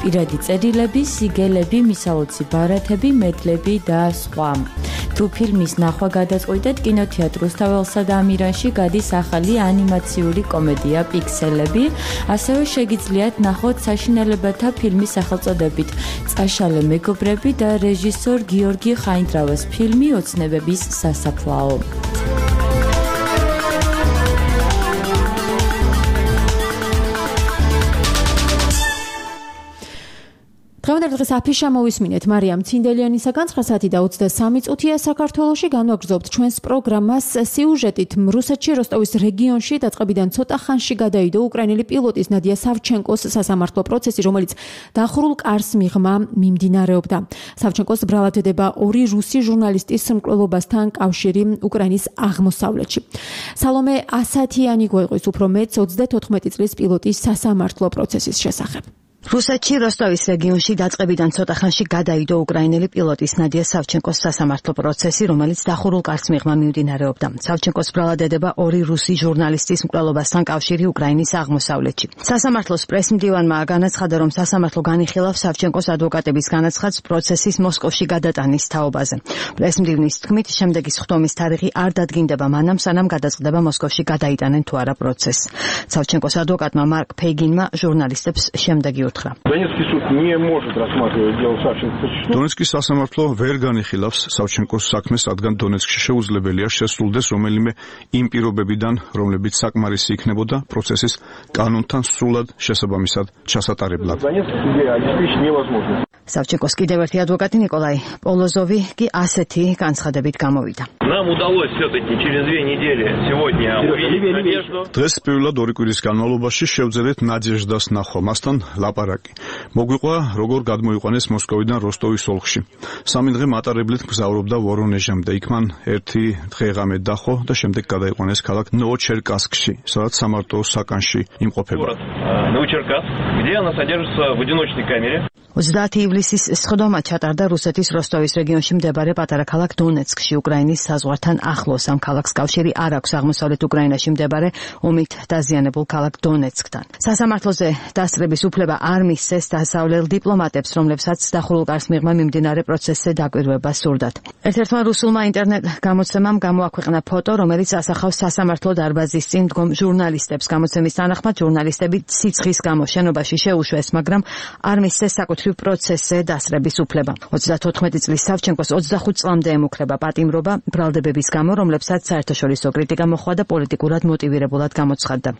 პირადი წერილები, სიგელები, მისალოცი ბარათები, მედლები და სხვა. თუ ფილმის ნახვა გადაწყვიტეთ, კინოთეატრ რუსთაველსა და ამირანში გადის ახალი ანიმაციური კომედია პიქსელები. ასევე შეგიძლიათ ნახოთ საშინელებათა ფილმის სახელწოდებით წაშალე მეგობრები და რეჟისორ გიორგი ხაინდრავას ფილმი ოცნებების სასაფლაო. დღევანდელი დღეს აფიშა მოვისმინეთ მარიამ ცინდელიანისაგან. ცხრა საათი და ოცდასამი წუთია საქართველოში. განვაგრძობთ ჩვენს პროგრამას სიუჟეტით. რუსეთში როსტოვის რეგიონში დაწყებიდან ცოტა ხანში გადაიდო უკრაინელი პილოტის ნადია სავჩენკოს სასამართლო პროცესი, რომელიც დახურულ კარს მიღმა მიმდინარეობდა. სავჩენკოს ბრალად ედება ორი რუსი ჟურნალისტის მკვლელობასთან კავშირი უკრაინის აღმოსავლეთში. სალომე ასათიანი გვეყვის უფრო მეტს ოცდათოთხმეტი წლის პილოტის სასამართლო პროცესის შესახებ. რუსეთში როსტოვის რეგიონში დაწყებიდან ცოტა ხანში გადაიდო უკრაინელი პილოტის ნადია სავჩენკოს სასამართლო პროცესი, რომელიც დახურულ კარს მიღმა მიმდინარეობდა. სავჩენკოს ბრალადედება ორი რუსი ჟურნალისტის მკვლელობასთან კავშირი უკრაინის აღმოსავლეთში. სასამართლოს პრესმდივანმა განაცხადა, რომ სასამართლო განიხილავს სავჩენკოს ადვოკატების განაცხადს პროცესის მოსკოვში გადატანის თაობაზე. პრესმდივნის თქმით, შემდეგი სხდომის თარიღი არ დადგინდება მანამ, სანამ გადაწყდება მოსკოვში გადაიტანენ თუ არა პროცესს. სავჩენკოს ადვოკატმა მარკ ფეიგინმა ჟურნალისტებს შემდეგი უთხრა. Донецкий суд не может рассматривать дело Савченко. Донецкий სასამართლო ვერ განიხილავს სავჩენკოს საქმეს, რადგან დონეცკში შეუძლებელია შესრულდეს რომელიმე იმ პირობებიდან, რომლებიც საკმარისი იქნებოდა პროცესის კანონთან სრულად შესაბამისად ჩასატარებლად. სავჩენკოს კიდევ ერთი ადვოკატი ნიკოლაი პოლოზოვი კი ასეთი განცხადებით გამოვიდა. Нам удалось все-таки через две недели сегодня увидеть надежду. დღეს პირველად ორი კვირის განმავლობაში შევძელეთ ნადეჟდას ნახვა, მასთან ლაპარაკი. მოგვიყვა, როგორ გადმოიყვანეს მოსკოვიდან როსტოვის ოლქში. სამი დღე მატარებლით მგზავრობდა ვორონეჟამდე, იქ მან ერთი დღე-ღამე დახო და შემდეგ გადაიყვანეს ქალაქ ნოვოჩერკასკში, სადაც სამარტო საკანში იმყოფება. Новочеркасск, где она содержится в одиночной камере. ოცდაათი ივლისის სხდომა ჩატარდა რუსეთის როსტოვის რეგიონში მდებარე პატარა ქალაქ დონეცკში, უკრაინის საზღვართან ახლოს. ამ ქალაქს კავშირი არ აქვს აღმოსავლეთ უკრაინაში მდებარე ომით დაზიანებულ ქალაქ დონეცკთან. სასამართლოზე დასწრების უფლება არ მისცეს დასავლელ დიპლომატებს, რომლებსაც დახურულ კარს მიღმა მიმდინარე პროცესზე დაკვირვება სურდათ. ერთ-ერთმა რუსულმა ინტერნეტ გამოცემამ გამოაქვეყნა ფოტო, რომელიც ასახავს სასამართლო დარბაზის წინ მდგომ ჟურნალისტებს. გამოცემის თანახმად ჟურნალისტები სიცხის გამო შენობაში შეუშვეს, მაგრამ არ მისცეს საკუთრივ პროცესზე დასწრების უფლება. ოცდათოთხმეტი წლის სავჩენკოს ოცდახუთ წლამდე ემუქრება პატიმრობა ბრალდებების გამო, რომლებსაც საერთაშორისო კრიტიკა მოჰყვა და პოლიტიკურად მოტივირებულად გამოცხადდა.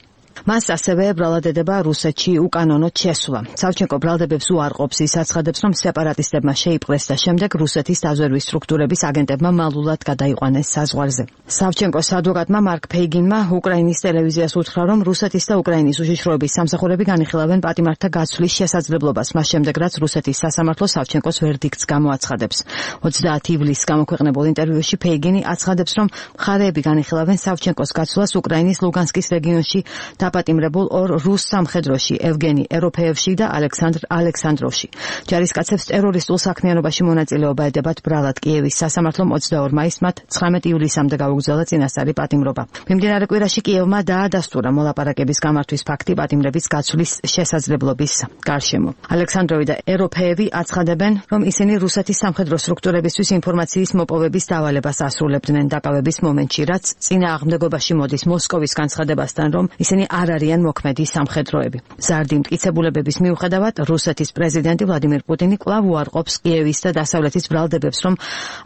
მას ასევე ბრალადედება რუსეთში უკანონოდ შესვლა. სავჩენკო ბრალდებებს უარყოფს, ის აცხადებს, რომ სეპარატისტებმა შეიპყრეს და შემდეგ რუსეთის დაზვერვის სტრუქტურების აგენტებმა მალულად გადაიყვანეს საზღვარზე. სავჩენკოს ადვოკატმა მარკ ფეიგინმა უკრაინის ტელევიზიას უთხრა, რომ რუსეთის და უკრაინის უშიშროების სამსახურები განიხილავენ პატიმართა გაცვლის შესაძლებლობას, მას შემდეგ რაც რუსეთის სასამართლო სავჩენკოს ვერდიქტს გამოაცხადებს. ოცდაათი ივლისს გამოქვეყნებულ ინტერვიუში ფეიგინი აცხადებს, რომ მხარეები განიხილავენ სავჩენკოს გაცვლას უკრაინის ლუგანსკის რეგიონში დაპატიმრებულ ორ რუს სამხედროში, ევგენი ეროფეევში და ალექსანდრ ალექსანდროვში. ჯარისკაცებს ტერორისტულ საქმიანობაში მონაწილეობა ედებათ ბრალად. კიევის სასამართლომ ოცდაორ მაისს მათ ცხრამეტი ივლისამდე გაუგზავნა წინასწარი პატიმრობა. მიმდინარე კვირაში კიევმა დაადასტურა მოლაპარაკების გამართვის ფაქტი პატიმრების გაცვლის შესაძლებლობის გარშემო. ალექსანდროვი და ეროფეევი აცხადებენ, რომ ისინი რუსეთის სამხედრო სტრუქტურებისთვის ინფორმაციის მოპოვების დავალებას ასრულებდნენ დაკავების მომენტში, რაც წინააღმდეგობაში მოდის მოსკოვის განცხადებასთან, რომ ისინი არ არიან მოქმედი სამხედროები. ზარდი მტკიცებულებების მიუხედავად, რუსეთის პრეზიდენტი ვლადიმერ პუტინი კვლავ უარყოფს კიევის და დასავლეთის ბრალდებებს, რომ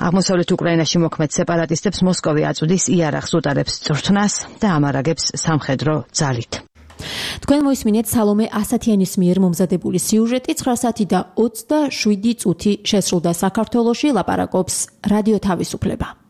აღმოსავლეთ უკრაინაში მოქმედ სეპარატისტებს მოსკოვი აწვდის იარაღს უტარებს წვრთნას და ამარაგებს სამხედრო ძალით. თქვენ მოისმინეთ სალომე ასათიანის მიერ მომზადებული სიუჟეტი. ცხრა საათი და ოცდაშვიდი წუთი შესრულდა საქართველოში, ლაპარაკობს რადიო თავისუფლება.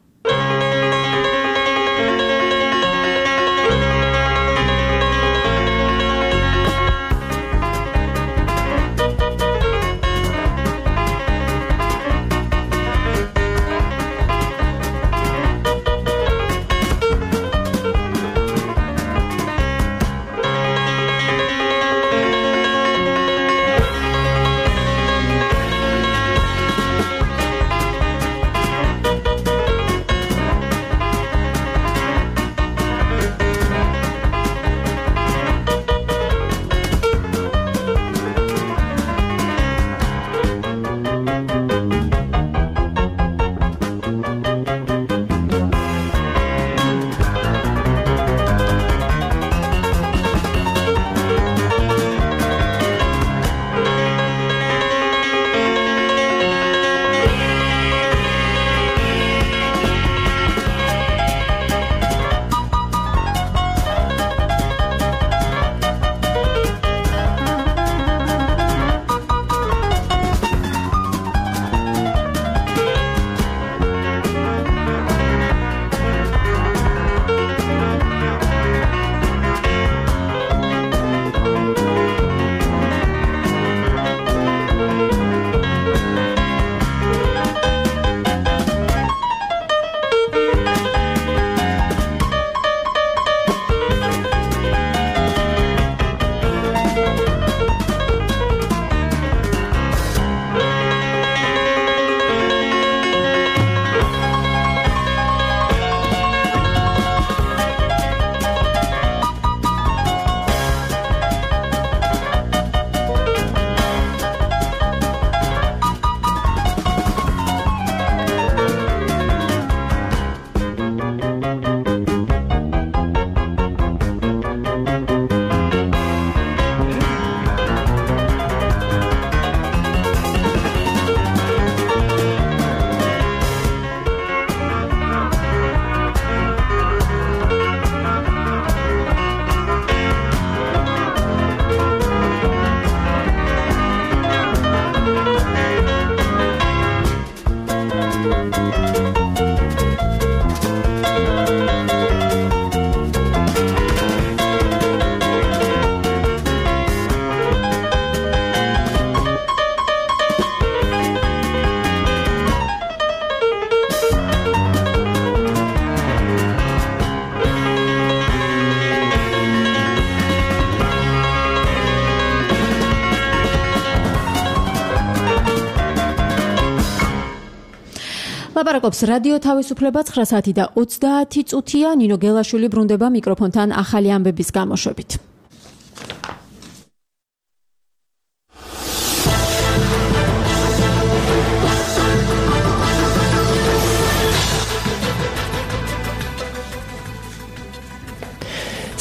ლაპარაკობს რადიო თავისუფლება ცხრა საათი და ოცდაათი წუთია. ნინო გელაშვილი ბრუნდება მიკროფონთან ახალი ამბების გამოშვებით.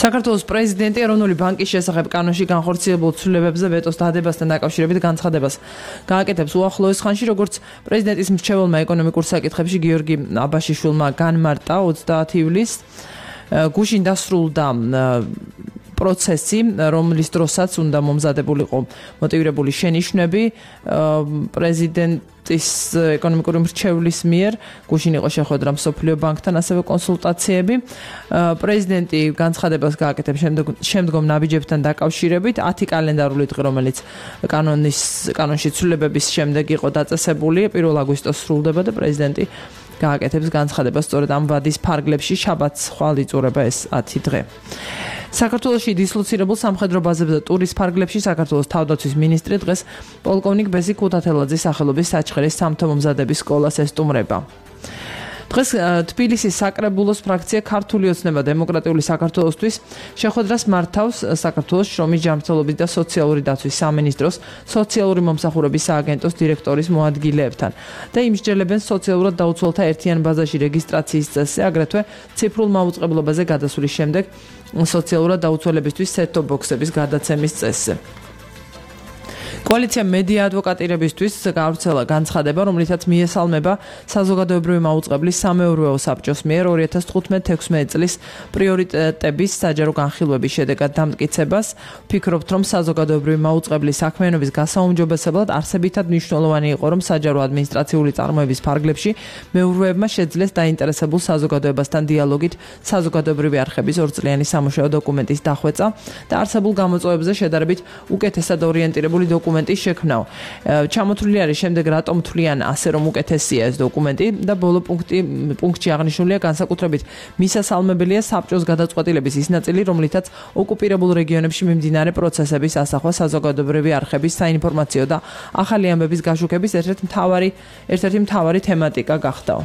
საქართველოს პრეზიდენტი ეროვნული ბანკის შესახებ კანონში განხორციელებულ ცვლილებებზე ვეტოს დადებასთან დაკავშირებით განცხადებას გააკეთებს უახლოეს ხანში, როგორც პრეზიდენტის მრჩეველმა ეკონომიკურ საკითხებში გიორგი აბაშიშვილმა განმარტა ოცდაათი ივლისს გუშინ დასრულდა პროცესი, რომლის დროსაც უნდა მომზადებულიყო მოტივირებული შენიშვნები პრეზიდენტის ეკონომიკური მრჩევლის მიერ. გუშინ იყო შეხვედრა მსოფლიო ბანკთან, ასევე კონსულტაციები. პრეზიდენტი განცხადებას გააკეთებს შემდგომ ნაბიჯებთან დაკავშირებით ათი კალენდარული დღე, რომელიც კანონის კანონში ცვლილებების შემდეგ იყო დაწესებული, პირველ აგვისტოს სრულდება და პრეზიდენტი გააკეთებს განცხადებას სწორედ ამ ვადის ფარგლებში შაბათს ხვალ იწურება ეს ათი დღე. საქართველოში დისლოცირებულ სამხედრო ბაზებზე და ტურის ფარგლებში საქართველოს თავდაცვის მინისტრი დღეს პოლკოვნიკ ბეზი ქუთათელაძის სახელობის საჩხერის სამთო მომზადების სკოლას ესტუმრება. დღეს თბილისის საკრებულოს ფრაქცია ქართული ოცნება დემოკრატიული საქართველოსთვის შეხვედრას მართავს საქართველოს შრომის ჯანმრთელობის და სოციალური დაცვის სამინისტროს სოციალური მომსახურების სააგენტოს დირექტორის მოადგილეებთან და იმსჯელებენ სოციალურად დაუცველთა ერთიან ბაზაში რეგისტრაციის წესზე, აგრეთვე ციფრულ მაუწყებლობაზე გადასვლის შემდეგ სოციალურად დაუცველებისთვის set-top box-ების გადაცემის წესზე. კოალიცია მედია ადვოკატირებისთვის გავრცელა განცხადება, რომლითაც მიესალმება საზოგადოებრივი მაუწყებლის სამეურვეო საბჭოს მიერ ორი ათას თხუთმეტ თექვსმეტ წლის პრიორიტეტების საჯარო განხილვების შედეგად დამტკიცებას. ვფიქრობთ, რომ საზოგადოებრივი მაუწყებლის საქმიანობის გასაუმჯობესებლად არსებითად მნიშვნელოვანი იყო, რომ საჯარო ადმინისტრაციული წარმოების ფარგლებში მეურვეებმა შეძლეს დაინტერესებულ საზოგადოებასთან დიალოგით საზოგადოებრივი არხების ორწლიანი სამუშაო დოკუმენტის დახვეწა და არსებულ გამოწვევებზე შედარებით უკეთესად ორიენტირებული დოკუმენტი შექმნაო. ჩამოთვლილი არის შემდეგ რატომ თვლიან ასე, რომ უკეთესია ეს დოკუმენტი და ბოლო პუნქტი პუნქტში აღნიშნულია განსაკუთრებით მისასალმებელია საბჭოს გადაწყვეტილების ის ნაწილი, რომლითაც ოკუპირებულ რეგიონებში მიმდინარე პროცესების ასახვა საზოგადოებრივი არხების საინფორმაციო და ახალი ამბების გაშუქების ერთ-ერთი მთავარი ერთ-ერთი მთავარი თემატიკა გახდაო.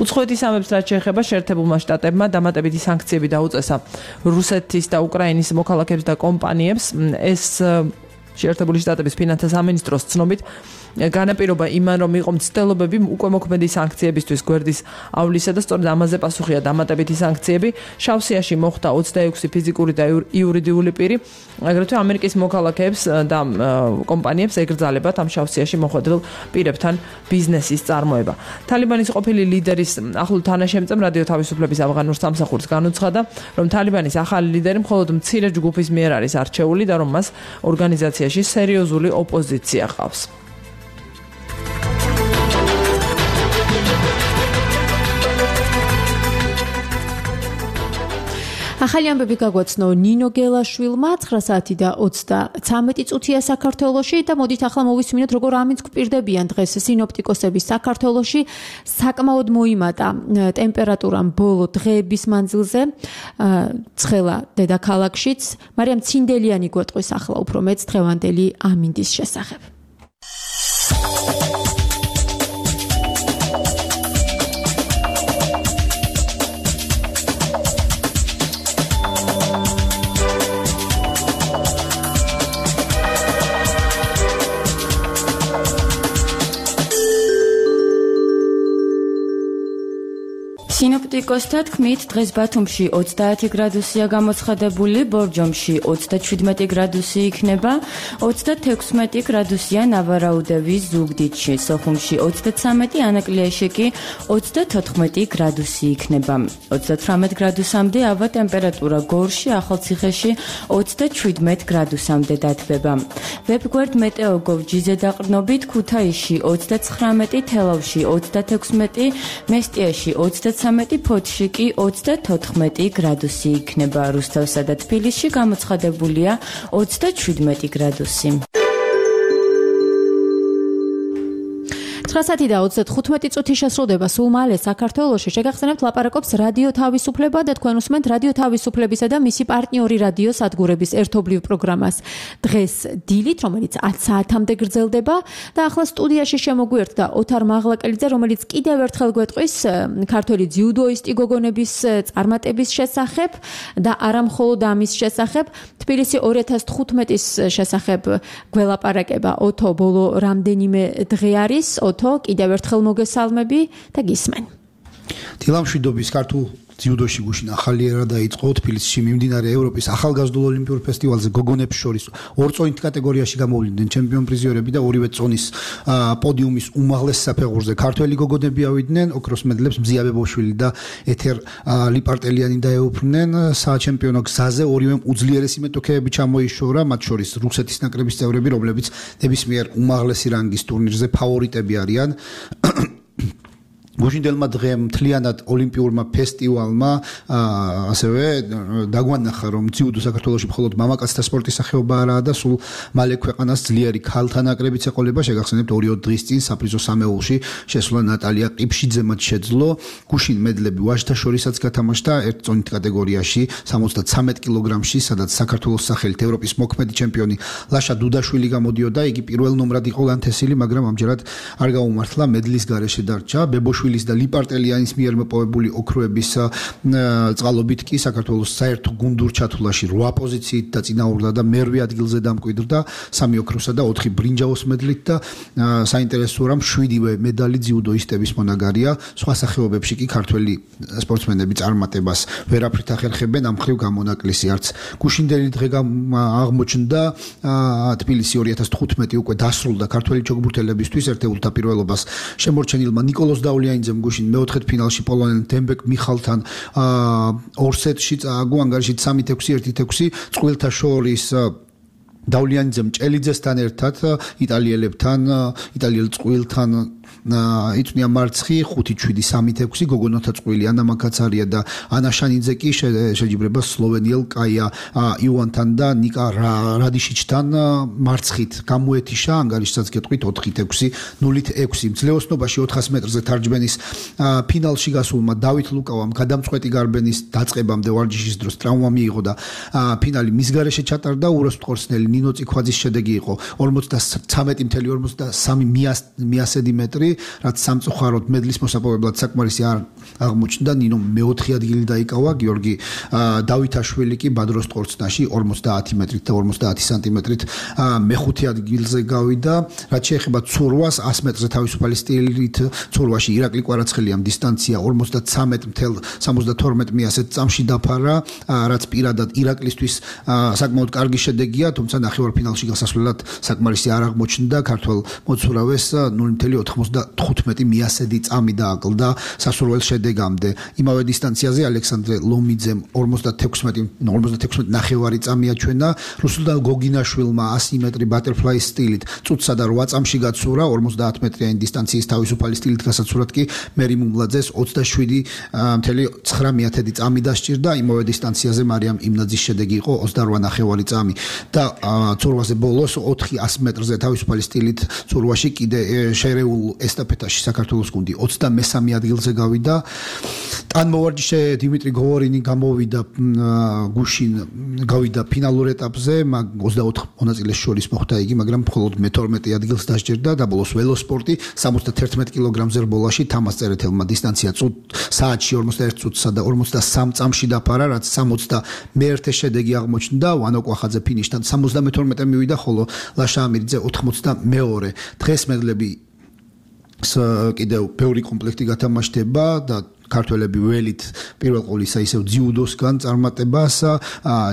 უცხოეთის ამბებს რაც შეეხება შეერთებულმა შტატებმა დამატებითი სანქციები დაუწესა რუსეთის და უკრაინის მოქალაქეებს და კომპანიებს. ეს შეერთებული შტატების ფინანსთა სამინისტროს ცნობით განაპირობა იმან, რომ იყო მცდელობები უკვე მოქმედი სანქციებისთვის გვერდისავლისა და სწორედ ამაზე პასუხია დამატებითი სანქციები. შავსიაში მოხდა ოცდაექვსი ფიზიკური და იურიდიული პირი, აგრეთვე ამერიკის მოქალაქეებს და კომპანიებს ეკრძალებათ ამ შავსიაში მოხვედრილ პირებთან ბიზნესის წარმოება. თალიბანის ყოფილი ლიდერის ახლო თანაშემწემ რადიო თავისუფლების ავღანურ სამსახურს განუცხადა, რომ თალიბანის ახალი ლიდერი მხოლოდ მცირე ჯგუფის მიერ არის არჩეული და რომ მას ორგანიზაციაში სერიოზული ოპოზიცია ყავს. ახალი ამბები გაგვაცნო ნინო გელაშვილმა ცხრა საათი და ოცდაცამეტი წუთია საქართველოში და მოდით ახლა მოვისმინოთ როგორ ამინც გვპირდებიან დღეს სინოპტიკოსების საქართველოში. საკმაოდ მოიმატა ტემპერატურამ ბოლო დღეების მანძილზე ცხელა დედაქალაქშიც. მარიამ ცინდელიანი გვეტყვის ახლა უფრო მეც დღევანდელი ამინდის შესახებ. სინოპტიკოსთა თქმით, დღეს ბათუმში ოცდაათი გრადუსია გამოცხადებული, ბორჯომში ოცდაჩვიდმეტი გრადუსი იქნება, ოცდათექვსმეტი გრადუსია ნავარაუდევის ზუგდიდში, სოხუმში ოცდაცამეტი, ანაკლიაში კი ოცდათოთხმეტი გრადუსი იქნება. ოცდათვრამეტ გრადუსამდე ავა ტემპერატურა გორში, ახალციხეში ოცდაჩვიდმეტ გრადუსამდე დათბება. ვებგვერდ მეტეოგოვ.gz დაყრდნობით ქუთაისში ოცდაცხრამეტი, თელავში ოცდათექვსმეტი, მესტიაში ოცდაცამეტი, ფოთში კი ოცდათოთხმეტი გრადუსი იქნება. რუსთავსა და თბილისში გამოცხადებულია ოცდაჩვიდმეტი გრადუსი. ცხრა საათი და ოცდათხუთმეტი წუთი შესრულდება სულ მალე საქართველოში. შეგახსენებთ ლაპარაკობს რადიო თავისუფლება და თქვენ უსმენთ რადიო თავისუფლებისა და მისი პარტნიორი რადიო სადგურების ერთობლივ პროგრამას. დღეს დილით, რომელიც ათ საათამდე გრძელდება და ახლა სტუდიაში შემოგვიერთდა ოთარ მაღლაკელიძე, რომელიც კიდევ ერთხელ გვეტყვის ქართველი ძიუდოისტი გოგონების წარმატების შესახებ და არა მხოლოდ ამის შესახებ. თბილისი ორი ათას თხუთმეტის შესახებ გველაპარაკება ოთო ბოლო რამდენიმე დღე არის. ოთო, კიდევ ერთხელ მოგესალმები და გისმენ. დილამშვიდობის ქართულ ძიუდოში გუშინ ახალი ერა დაიწყო თბილისში მიმდინარე ევროპის ახალგაზრდულ ოლიმპიურ ფესტივალზე გოგონებს შორის ორ წონით კატეგორიაში გამოვლინდნენ ჩემპიონ პრიზიორები და ორივე წონის პოდიუმის უმაღლეს საფეხურზე ქართველი გოგონები ავიდნენ. ოქროს მედლებს მზია ბებოშვილი და ეთერ ლიპარტელიანი დაეუფლნენ. საჩემპიონო გზაზე ორივემ უძლიერესი მეტოქეები ჩამოიშორა, მათ შორის რუსეთის ნაკრების წევრები, რომლებიც ნებისმიერ უმაღლესი რანგის ტურნირზე ფავორიტები არიან. გუშინდელმა დღემ მთლიანად ოლიმპიურმა ფესტივალმა ასევე დაგვანახა, რომ ძიუდო საქართველოში მხოლოდ მამაკაცთა სპორტის სახეობა არაა და სულ მალე ქვეყანას ძლიერი ქალთა ნაკრებიც ეყოლება. შეგახსენებთ, ორი-ორი დღის წინ საფრიზო სამეულში შესვლა ნატალია ყიფშიძემაც შეძლო. გუშინ მედლები ვაჟთა შორისაც გათამაშდა ერთ წონით კატეგორიაში სამოცდაცამეტ კილოგრამში, სადაც საქართველოს სახელით ევროპის მოქმედი ჩემპიონი ლაშა დუდაშვილი გამოდიოდა. იგი პირველ ნომრად იყო ლანთესილი, მაგრამ ამჯერად არ გაუმართლა, მედლის გარეშე დარჩა. ბებოშვილი და ლიპარტელიანის მიერ მოპოვებული ოქროების წყალობით კი საქართველოს საერთო გუნდურ ჩათვლაში რვა პოზიციით დაწინაურდა და მერვე ადგილზე დამკვიდრდა სამი ოქროსა და ოთხი ბრინჯაოს მედლით და საინტერესოა, რომ შვიდივე მედალი ძიუდოისტების მონაგარია. სხვა სახეობებში კი ქართველი სპორტსმენები წარმატებას ვერაფრით ახერხებენ, ამ მხრივ გამონაკლისი არც გუშინდელი დღე აღმოჩნდა. თბილისი ორი ათას თხუთმეტი უკვე დასრულდა ქართველი ჩოგბურთელებისთვის ერთეულ დაპირველობას შემორჩენილმა ნიკოლოზ დაულიანიძემ გუშინ მეოთხედფინალში პოლონელ დემბეკ მიხალთან ორ სეტში წააგო, ანგარიშით სამი ექვსი ერთი ექვსი. წყვილთა შორის დაულიანიძემ ჭელიძესთან ერთად იტალიელებთან, იტალიელ წყვილთან იწვნია მარცხი ხუთი შვიდი სამი ექვსი. გოგონოთა წყვილი ანა მაკაცარია და ანა შანიძე კი შეჯიბრება სლოვენიელ კაია ივანთან და ნიკა რადიშიჩთან მარცხით გამოეთიშა, ანგარიშსაც გეტყვით ოთხი ექვსი ნული ექვსი. მძლეოსნობაში ოთხას მეტრზე თარჯმენის ფინალში გასულმა დავით ლუკავამ გადამწყვეტი გარბენის დაწყებამდე ვარჯიშის დროს ტრავმა მიიღო და ფინალი მის გარეშე ჩატარდა. უროსტყორსნელი ნინო წიქვაძის შედეგი იყო ორმოცდაცამეტი ათეული ორმოცდასამი მიასედი მეტრი, რაც სამწუხაროდ მედლის მოსაპოვებლად საკმარისი არ აღმოჩნდა. ნინო მეოთხე ადგილი დაიკავა, გიორგი დავითაშვილი კი ბადროსტყორცნაში ორმოცდაათი მეტრით და ორმოცდაათი სანტიმეტრით მეხუთე ადგილზე გავიდა. რაც შეეხება ცურვას, ას მეტრზე თავისუფალი სტილით ცურვაში ირაკლი კვარაცხელიამ დისტანცია ორმოცდაცამეტ ათეული სამოცდათორმეტ მიასედ წამში დაფარა, რაც პირადად ირაკლისთვის საკმაოდ კარგი შედეგია, თუმცა ნახევარფინალში გასასვლელად საკმარისი არ აღმოჩნდა. ქართველ მოცურავეს ნული ათეული თხუთმეტი მიასედი წამი დააკლდა სასურველ შედეგამდე. იმავე დისტანციაზე ალექსანდრე ლომიძემ ორმოცდათექვსმეტი ნახევარი წამი აჩვენა. რუსულდან გოგინაშვილმა ასი მეტრი ბატერფლაი სტილით წუთსა და რვა წამში გაცურა. ორმოცდაათ მეტრიანი დისტანციის თავისუფალი სტილით გასაცურად კი მერი მუმლაძეს ოცდაშვიდი ათეული ცხრა წამი დასჭირდა. იმავე დისტანციაზე მარიამ იმნაძის შედეგი იყო ოცდარვა ნახევარი წამი და ცურვაზე ბოლოს ოთხი ას მეტრზე თავისუფალი სტილით ცურვაში კიდე შერეულ ესტაფეტაში საქართველოს გუნდი ოცდამესამე ადგილზე გავიდა. ტანმოვარჯიშე დიმიტრი გოვორინი გამოვიდა გუშინ გავიდა ფინალურ ეტაპზე, ოცდაოთხ მონაწილეს შორის მოხვდა იგი, მაგრამ მხოლოდ მეთორმეტე ადგილს დასჯერდა და ბოლოს ველოსპორტი სამოცდათერთმეტ კილოგრამზე რბოლაში თამას წერეთელმა დისტანცია საათში ორმოცდაერთ წუთსა და ორმოცდასამ წამში დაფარა, რაც სამოცდამეერთე შედეგი აღმოჩნდა. ვანო კვახაძე ფინიშთან სამოცდამეთორმეტე მივიდა, ხოლო ლაშა ამირიძე ოთხმოცდამეორე. დღეს მედლები კიდევ ბევრი კომპლექტი გათამაშდება და ქართველები ველით პირველ ყოვლისა ისევ ძიუდოსგან წარმატებას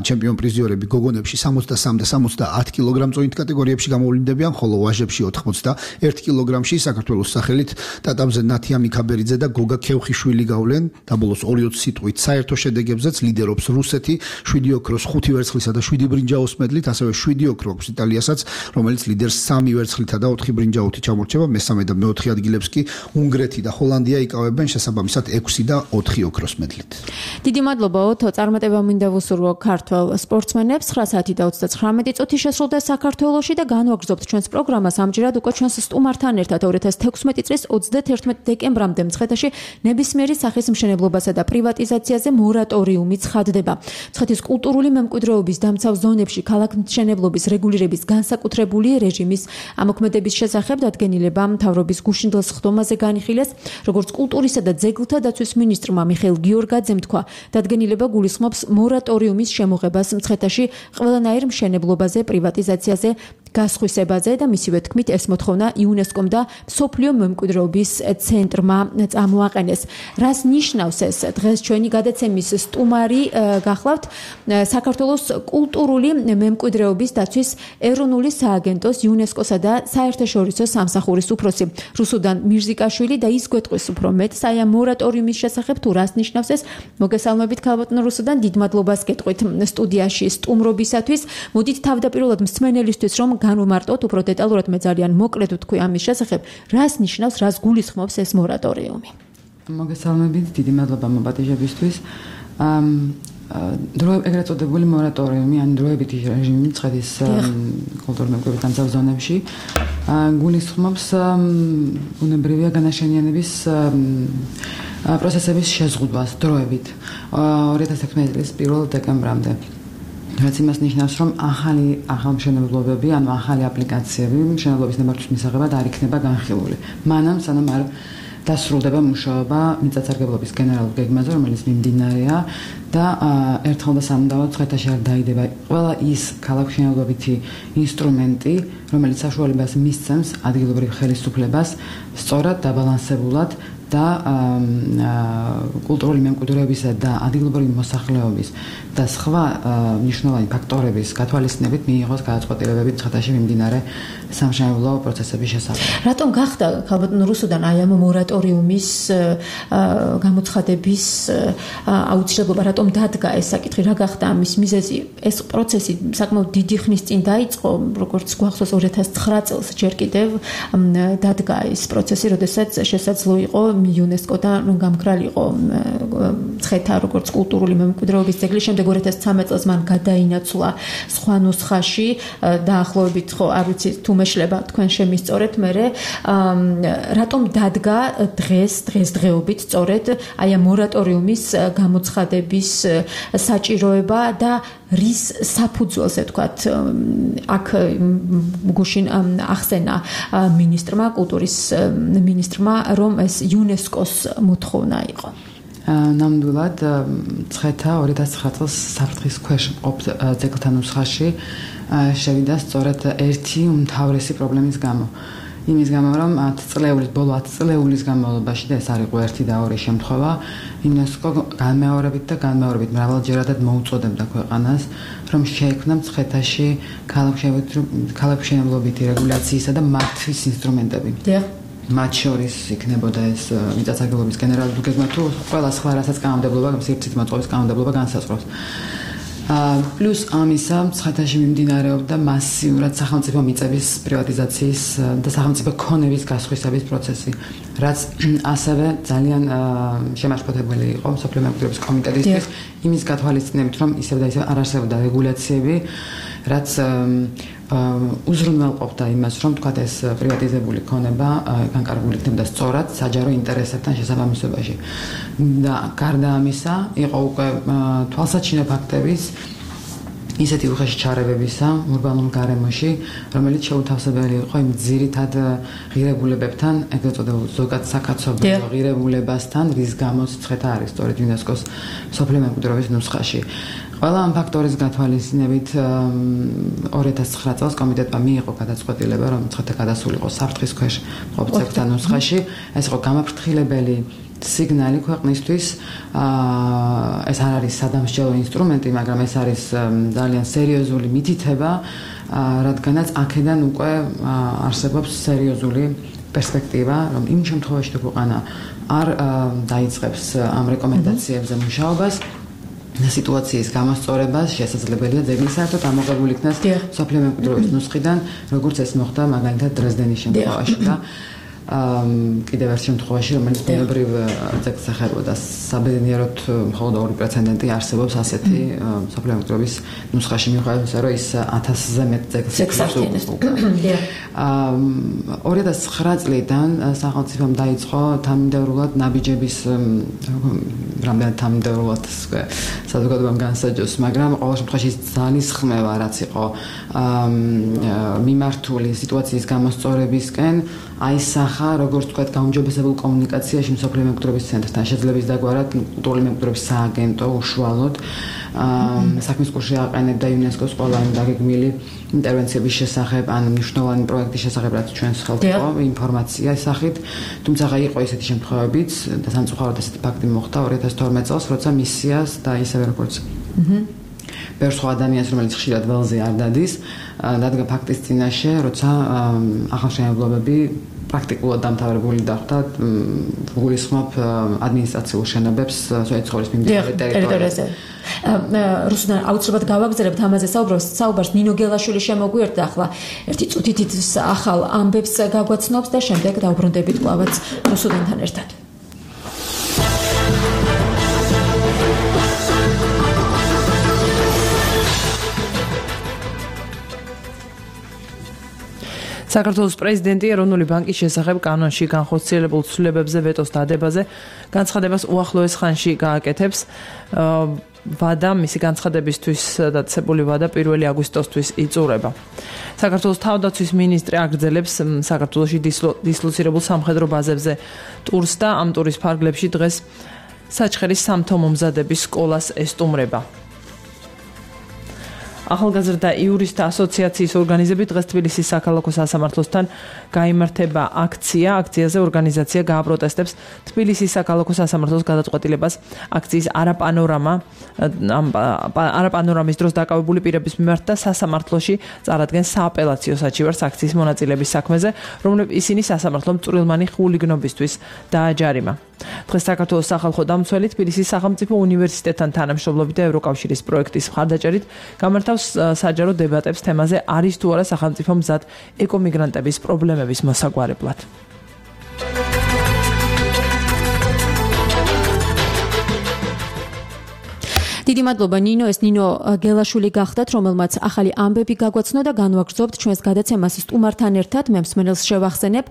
ჩემპიონ პრიზიორები გოგონებში სამოცდასამ და სამოცდაათ კილოგრამ წონით კატეგორიებში გამოვლინდებიან, ხოლო ვაჟებში ოთხმოცდაერთ კილოგრამში საქართველოს სახელით ტატამზე ნათია მიქაბერიძე და გოგა ქევხიშვილი გავლენ. დაბოლოს ორი-ოცი სიტყვით საერთო შედეგებზეც ლიდერობს რუსეთი, შვიდი ოქროს, ხუთი ვერცხლისა და შვიდი ბრინჯაოს მედლით, ასევე შვიდი ოქრო აქვს იტალიასაც, რომელიც ლიდერს სამი ვერცხლითა და ოთხი ბრინჯაოთი ჩამორჩება. მესამე და მეოთხე ადგილებს კი უნგრეთი და ჰოლანდია იკავებენ, შესაბამისად ექვსი ექვსი და ოთხი ოქროს მედლით. დიდი მადლობა ოთო, წარმატება მინდა ვუსურვო ქართველ სპორტსმენებს. ცხრა საათი და ოცდათხრამეტი წუთი შესრულდა საქართველოში და განვაგრძობთ ჩვენს პროგრამას ამჯერად უკვე ჩვენს სტუმართან ერთად ორი ათას თექვსმეტი წლის ოცდათერთმეტ დეკემბრამდე მცხეთაში ნებისმიერი სახის მშენებლობასა და პრივატიზაციაზე მორატორიუმი ცხადდება. მცხეთის კულტურული მემკვიდრეობის დამცავ ზონებში ქალაქმშენებლობის რეგულირების განსაკუთრებული რეჟიმის ამოქმედების შესახებ დადგენილება მთავრობის გუშინდელ სხდომაზე განიხილეს, როგორც კულტურისა და ძეგლთა დაცვის მინისტრმა მიხეილ გიორგაძემ თქვა, დადგენილება გულისხმობს მორატორიუმის შემოღებას მცხეთაში ყველანაირ მშენებლობაზე, პრივატიზაციაზე, გასხვისებაზე და მისივე თქმით ეს მოთხოვნა იუნესკომ და მსოფლიო მემკვიდრეობის ცენტრმა წამოაყენეს. რას ნიშნავს ეს? დღეს ჩვენი გადაცემის სტუმარი გახლავთ საქართველოს კულტურული მემკვიდრეობის დაცვის ეროვნული სააგენტოს იუნესკოსა და საერთაშორისო სამსახურის უფროსი რუსუდან მირზიკაშვილი და ის გვეტყვის უფრო მეტს აი ამ მორატორიუმის შესახებ თუ რას ნიშნავს ეს. მოგესალმებით ქალბატონო რუსუდან, დიდ მადლობას გეტყვით სტუდიაში სტუმრობისათვის. მოდით თავდაპირველად მსმენელისთვის რომ განვმარტოთ უფრო დეტალურად, მე ძალიან მოკლედ ვთქვი ამის შესახებ, რას ნიშნავს, რას გულისხმობს ეს მორატორიუმი. მოგესალმებით, დიდი მადლობა მოპატიჟებისთვის. დრო ეგრეთ წოდებული მორატორიუმი, ან დროებითი რეჟიმი მცხეთის კულტურული მემკვიდრეობის დამცავ ზონებში გულისხმობს ბუნებრივია განაშენიანების პროცესების შეზღუდვას დროებით ორი ათას თექვსმეტი წლის პირველ დეკემბრამდე. რაც იმას ნიშნავს, რომ ახალი ახალმშენებლობები, ანუ ახალი აპლიკაციები მშენებლობის ნებართვის მისაღებად არ იქნება განხილული. მანამ სანამ არ დასრულდება მუშაობა მიწათსარგებლობის გენერალურ გეგმაზე, რომელიც მიმდინარეა და ერთხელ და სამუდამოდ მცხეთაში არ დაიდება ყველა ის ქალაქმშენებლობითი ინსტრუმენტი, რომელიც საშუალებას მისცემს ადგილობრივ ხელისუფლებას სწორად დაბალანსებულად და კულტურული მემკვიდრეობისა და ადგილობრივი მოსახლეობის და სხვა მნიშვნელოვანი ფაქტორების გათვალისწინებით მიიღოს გადაწყვეტილებები მცხეთაში მიმდინარე სამშენებლო პროცესების შესახებ. რატომ გახდა ქალბატონო რუსუდან აი ამ მორატორიუმის გამოცხადების აუცილებლობა, რატომ დადგა ეს საკითხი, რა გახდა ამის მიზეზი? ეს პროცესი საკმაოდ დიდი ხნის წინ დაიწყო, როგორც გვახსოვს ორი ათას ცხრა წელს ჯერ კიდევ დადგა ეს პროცესი, როდესაც შესაძლო იყო იუნესკოდან გამქრალიყო მცხეთა როგორც კულტურული მემკვიდრეობის ძეგლი. შემდეგ ორი ათას ცხრამეტ წელს მან გადაინაცვლა სხვა ნუსხაში, დაახლოებით ხო არ ვიცი თუ მეშლება თქვენ შემისწორეთ მერე. რატომ დადგა დღეს დღესდღეობით სწორედ აი ამ მორატორიუმის გამოცხადების საჭიროება და რის საფუძველზე თქვათ აქ გუშინ ახსენა მინისტრმა, კულტურის მინისტრმა, რომ ეს იუნესკოს მოთხოვნა იყო. ნამდვილად მცხეთა ორი ათას ცხრა წელს საფრთხის ქვეშ მყოფ ძეგლთა ნუსხაში შევიდა სწორედ ერთი უმთავრესი პრობლემის გამო. იმის გამო, რომ ათი წლეულის ბოლო ათი წლეულის განმავლობაში და ეს არ იყო ერთი და ორი შემთხვევა, იუნესკო განმეორებით და განმეორებით მრავალჯერადად მოუწოდებდა ქვეყანას, რომ შეექმნა მცხეთაში ქალაქმშენებლობითი რეგულაციისა და მართვის ინსტრუმენტები. მათ შორის იქნებოდა ეს მიწათსარგებლობის გენერალური გეგმა თუ ყველა სხვა რასაც კანონმდებლობა, სივრცის მოწყობის კანონმდებლობა განსაზღვრავს. პლუს ამისა მცხეთაში მიმდინარეობდა მასიურად სახელმწიფო მიწების პრივატიზაციის და სახელმწიფო ქონების გასხვისების პროცესი, რაც ასევე ძალიან შემაშფოთებელი იყო მსოფლიო მემკვიდრეობის კომიტეტისთვის იმის გათვალისწინებით, რომ ისევ და ისევ არ არსებობდა რეგულაციები, რაც უზრუნველყოფდა იმას, რომ თქვათ ეს პრივატიზებული ქონება განკარგული იქნებოდა სწორად საჯარო ინტერესებთან შესაბამისობაში. და გარდა ამისა, იყო უკვე თვალსაჩინო ფაქტების ისეთი უხეში ჩარევებისა ურბანულ გარემოში, რომელიც შეუთავსებელი იყო იმ ძირითად ღირებულებებთან, ეგრეთ წოდებულ ზოგად საკაცობრიო ღირებულებასთან, რის გამოც მცხეთა არის სწორედ იუნესკოს მსოფლიო მემკვიდრეობის ნუსხაში. ყველა ამ ფაქტორის გათვალისწინებით ორი ათას ცხრა წელს კომიტეტმა მიიღო გადაწყვეტილება, რომ მცხეთა გადასულიყო საფრთხის ქვეშ მყოფ ძეგლთა ნუსხაში. ეს იყო გამაფრთხილებელი სიგნალი ქვეყნისთვის. ეს არ არის სადამსჯელო ინსტრუმენტი, მაგრამ ეს არის ძალიან სერიოზული მითითება, რადგანაც აქედან უკვე არსებობს სერიოზული პერსპექტივა, რომ იმ შემთხვევაში თუ ქვეყანა არ დაიწყებს ამ რეკომენდაციებზე მუშაობას, სიტუაციის გამოსწორებას შესაძლებელია ძეგლი საერთოდ ამოღებული იქნას მსოფლიო მემკვიდრეობის ნუსხიდან, როგორც ეს მოხდა მაგალითად დრეზდენის შემთხვევაში და კიდევ ერთ შემთხვევაში, რომელიც ბუნებრივ ძეგლს ეხებოდა, საბედნიეროდ მხოლოდ ორი პრეცედენტი არსებობს ასეთი მსოფლიო მემკვიდრეობის ნუსხაში, მიუხედავად იმისა, რომ ის ათასზე მეტ ძეგლს ეკუთვნის. ორი ათას ცხრა წლიდან სახელმწიფომ დაიწყო თანმიმდევრულად ნაბიჯების რამდენად თანმიმდევრულად საზოგადოებამ განსაჯოს, მაგრამ ყოველ შემთხვევაში ძალისხმევა რაც იყო მიმართული სიტუაციის გამოსწორებისკენ აისახა, როგორც ვთქვათ, გაუმჯობესებულ კომუნიკაციაში მსოფლიო მემკვიდრეობის ცენტრთან შეძლების დაგვარად კულტურული მემკვიდრეობის სააგენტო უშუალოდ საქმის კურსში აყენებდა იუნესკოს ყველა იმ დაგეგმილი ინტერვენციების შესახებ ან მნიშვნელოვანი პროექტის შესახებ, რაც ჩვენს ხელთ იყო ინფორმაცია სახით, თუმცა იყო ისეთი შემთხვევებიც და სამწუხაროდ ესეთი ფაქტი მოხდა ორი ათას თორმეტ წელს, როცა მისიას და ისევე როგორც ბევრ სხვა ადამიანს, რომელიც ხშირად ველზე არ დადის, დადგა ფაქტის წინაშე, როცა ახალშენებლობები პრაქტიკულად დამთავრებული დახვდა, გულისხმობ ადმინისტრაციულ შენობებს სოციალური ცხოვრების მიმდინარე ტერიტორიაზე. რუსუდან აუცილებლად გავაგზავნებთ ამაზე საუბრობს, საუბარს ნინო გელაშვილი შემოგვიერთდა ახლა ერთი წუთით ახალ ამბებს გაგვაცნობს და შემდეგ დავბრუნდებით კვლავაც რუსუდანთან ერთად. საქართველოს პრეზიდენტი ეროვნული ბანკის შესახებ კანონში განხორციელებულ ცვლილებებზე ვეტოს დადებაზე განცხადებას უახლოეს ხანში გააკეთებს. ვადა მისი განცხადებისთვის დაწესებული ვადა პირველი აგვისტოსთვის იწურება. საქართველოს თავდაცვის მინისტრი აგრძელებს საქართველოში დისლოცირებულ სამხედრო ბაზებზე ტურს და ამ ტურის ფარგლებში დღეს საჩხერის სამთო-მომზადების სკოლას ესტუმრება. ახალგაზრდა იურისტთა ასოციაციის ორგანიზებით დღეს თბილისის საქალაქო სასამართლოსთან გაიმართება აქცია. აქციაზე ორგანიზაცია გააპროტესტებს თბილისის საქალაქო სასამართლოს გადაწყვეტილებას აქციის არაპანორამა არაპანორამის დროს დაკავებული პირების მიმართ და სასამართლოში წარადგენს სააპელაციო საჩივარს აქციის მონაწილეების საქმეზე, რომლებიც ისინი სასამართლომ წვრილმანი ხულიგნობისთვის დააჯარიმა. დღეს საქართველოს სახალხო დამცველი თბილისის სახელმწიფო უნივერსიტეტთან თანამშრომლობით და ევროკავშირის პროექტის მხარდაჭერით გამართავს საჯარო დებატებს თემაზე არის თუ არა სახელმწიფო მზად ეკომიგრანტების პრობლემების მოსაგვარებლად. დიდი მადლობა ნინო, ეს ნინო გელაშვილი გახდათ, რომელმაც ახალი ამბები გაგვაცნო და განვაგრძობთ ჩვენს გადაცემას სტუმართან ერთად. მე მსმენელს შევახსენებ,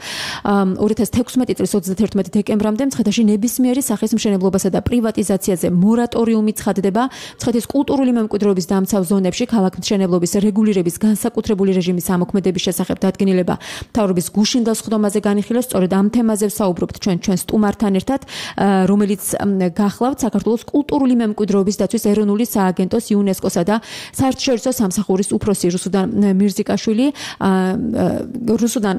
ორი ათას თექვსმეტი წლის ოცდაათერთმეტი დეკემბრამდე მცხეთაში ნებისმიერი სახის მშენებლობასა და პრივატიზაციაზე მორატორიუმი ცხადდება. მცხეთის კულტურული მემკვიდრეობის დამცავ ზონებში ქალაქ მშენებლობის რეგულირების განსაკუთრებული რეჟიმის ამოქმედების შესახებ დადგენილება მთავრობის გუშინდელ სხდომაზე განიხილეს. სწორედ ამ თემაზე ვსაუბრობთ ჩვენ ჩვენ სტუმართან ერთად, რომელიც გახლავთ საქართველოს კულტურული მემკვიდრეობის დაცვის ეროვნული სააგენტოს იუნესკოსა და საერთაშორისო სამსახურის უფროსი რუსუდან მირზიკაშვილი. რუსუდან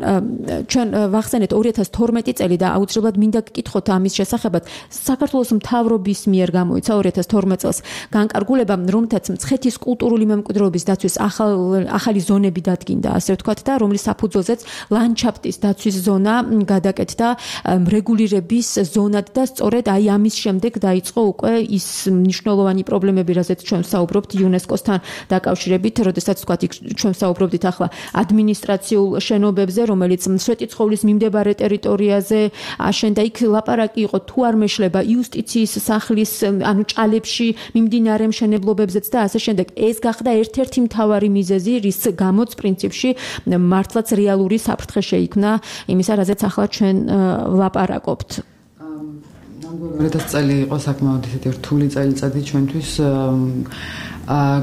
ჩვენ ვახსენეთ ორი ათას თორმეტი წელი და აუცილებლად მინდა გკითხოთ ამის შესახებად. საქართველოს მთავრობის მიერ გამოიცა ორი ათას თორმეტ წელს განკარგულება, რომლითაც მცხეთის კულტურული მემკვიდრეობის დაცვის ახალი ზონები დადგინდა, ასე ვთქვათ, და რომლის საფუძველზეც ლანდშაფტის დაცვის ზონა გადაკეთდა რეგულირების ზონად და სწორედ აი ამის შემდეგ დაიწყო უკვე ის მნიშვნელოვანი პრობლემები, რაზეც ჩვენ ვსაუბრობთ იუნესკოსთან დაკავშირებით, როდესაც ვთქვათ, ჩვენ ვსაუბრობდით ახლა ადმინისტრაციულ შენობებზე, რომელიც სვეტიცხოვლის მიმდებარე ტერიტორიაზე აშენდა. იქ ლაპარაკი იყო თუ არ მეშლება იუსტიციის სახლის, ანუ ჭალებში მიმდინარე მშენებლობებზეც და ასე შემდეგ. ეს გახდა ერთ-ერთი მთავარი მიზეზი, რის გამოც პრინციპში მართლაც რეალური საფრთხე შეიქმნა იმისა, რაზეც ახლა ჩვენ ვლაპარაკობთ. ორი ათას წელი იყო საკმაოდ ისეთი რთული წელიწადი ჩვენთვის.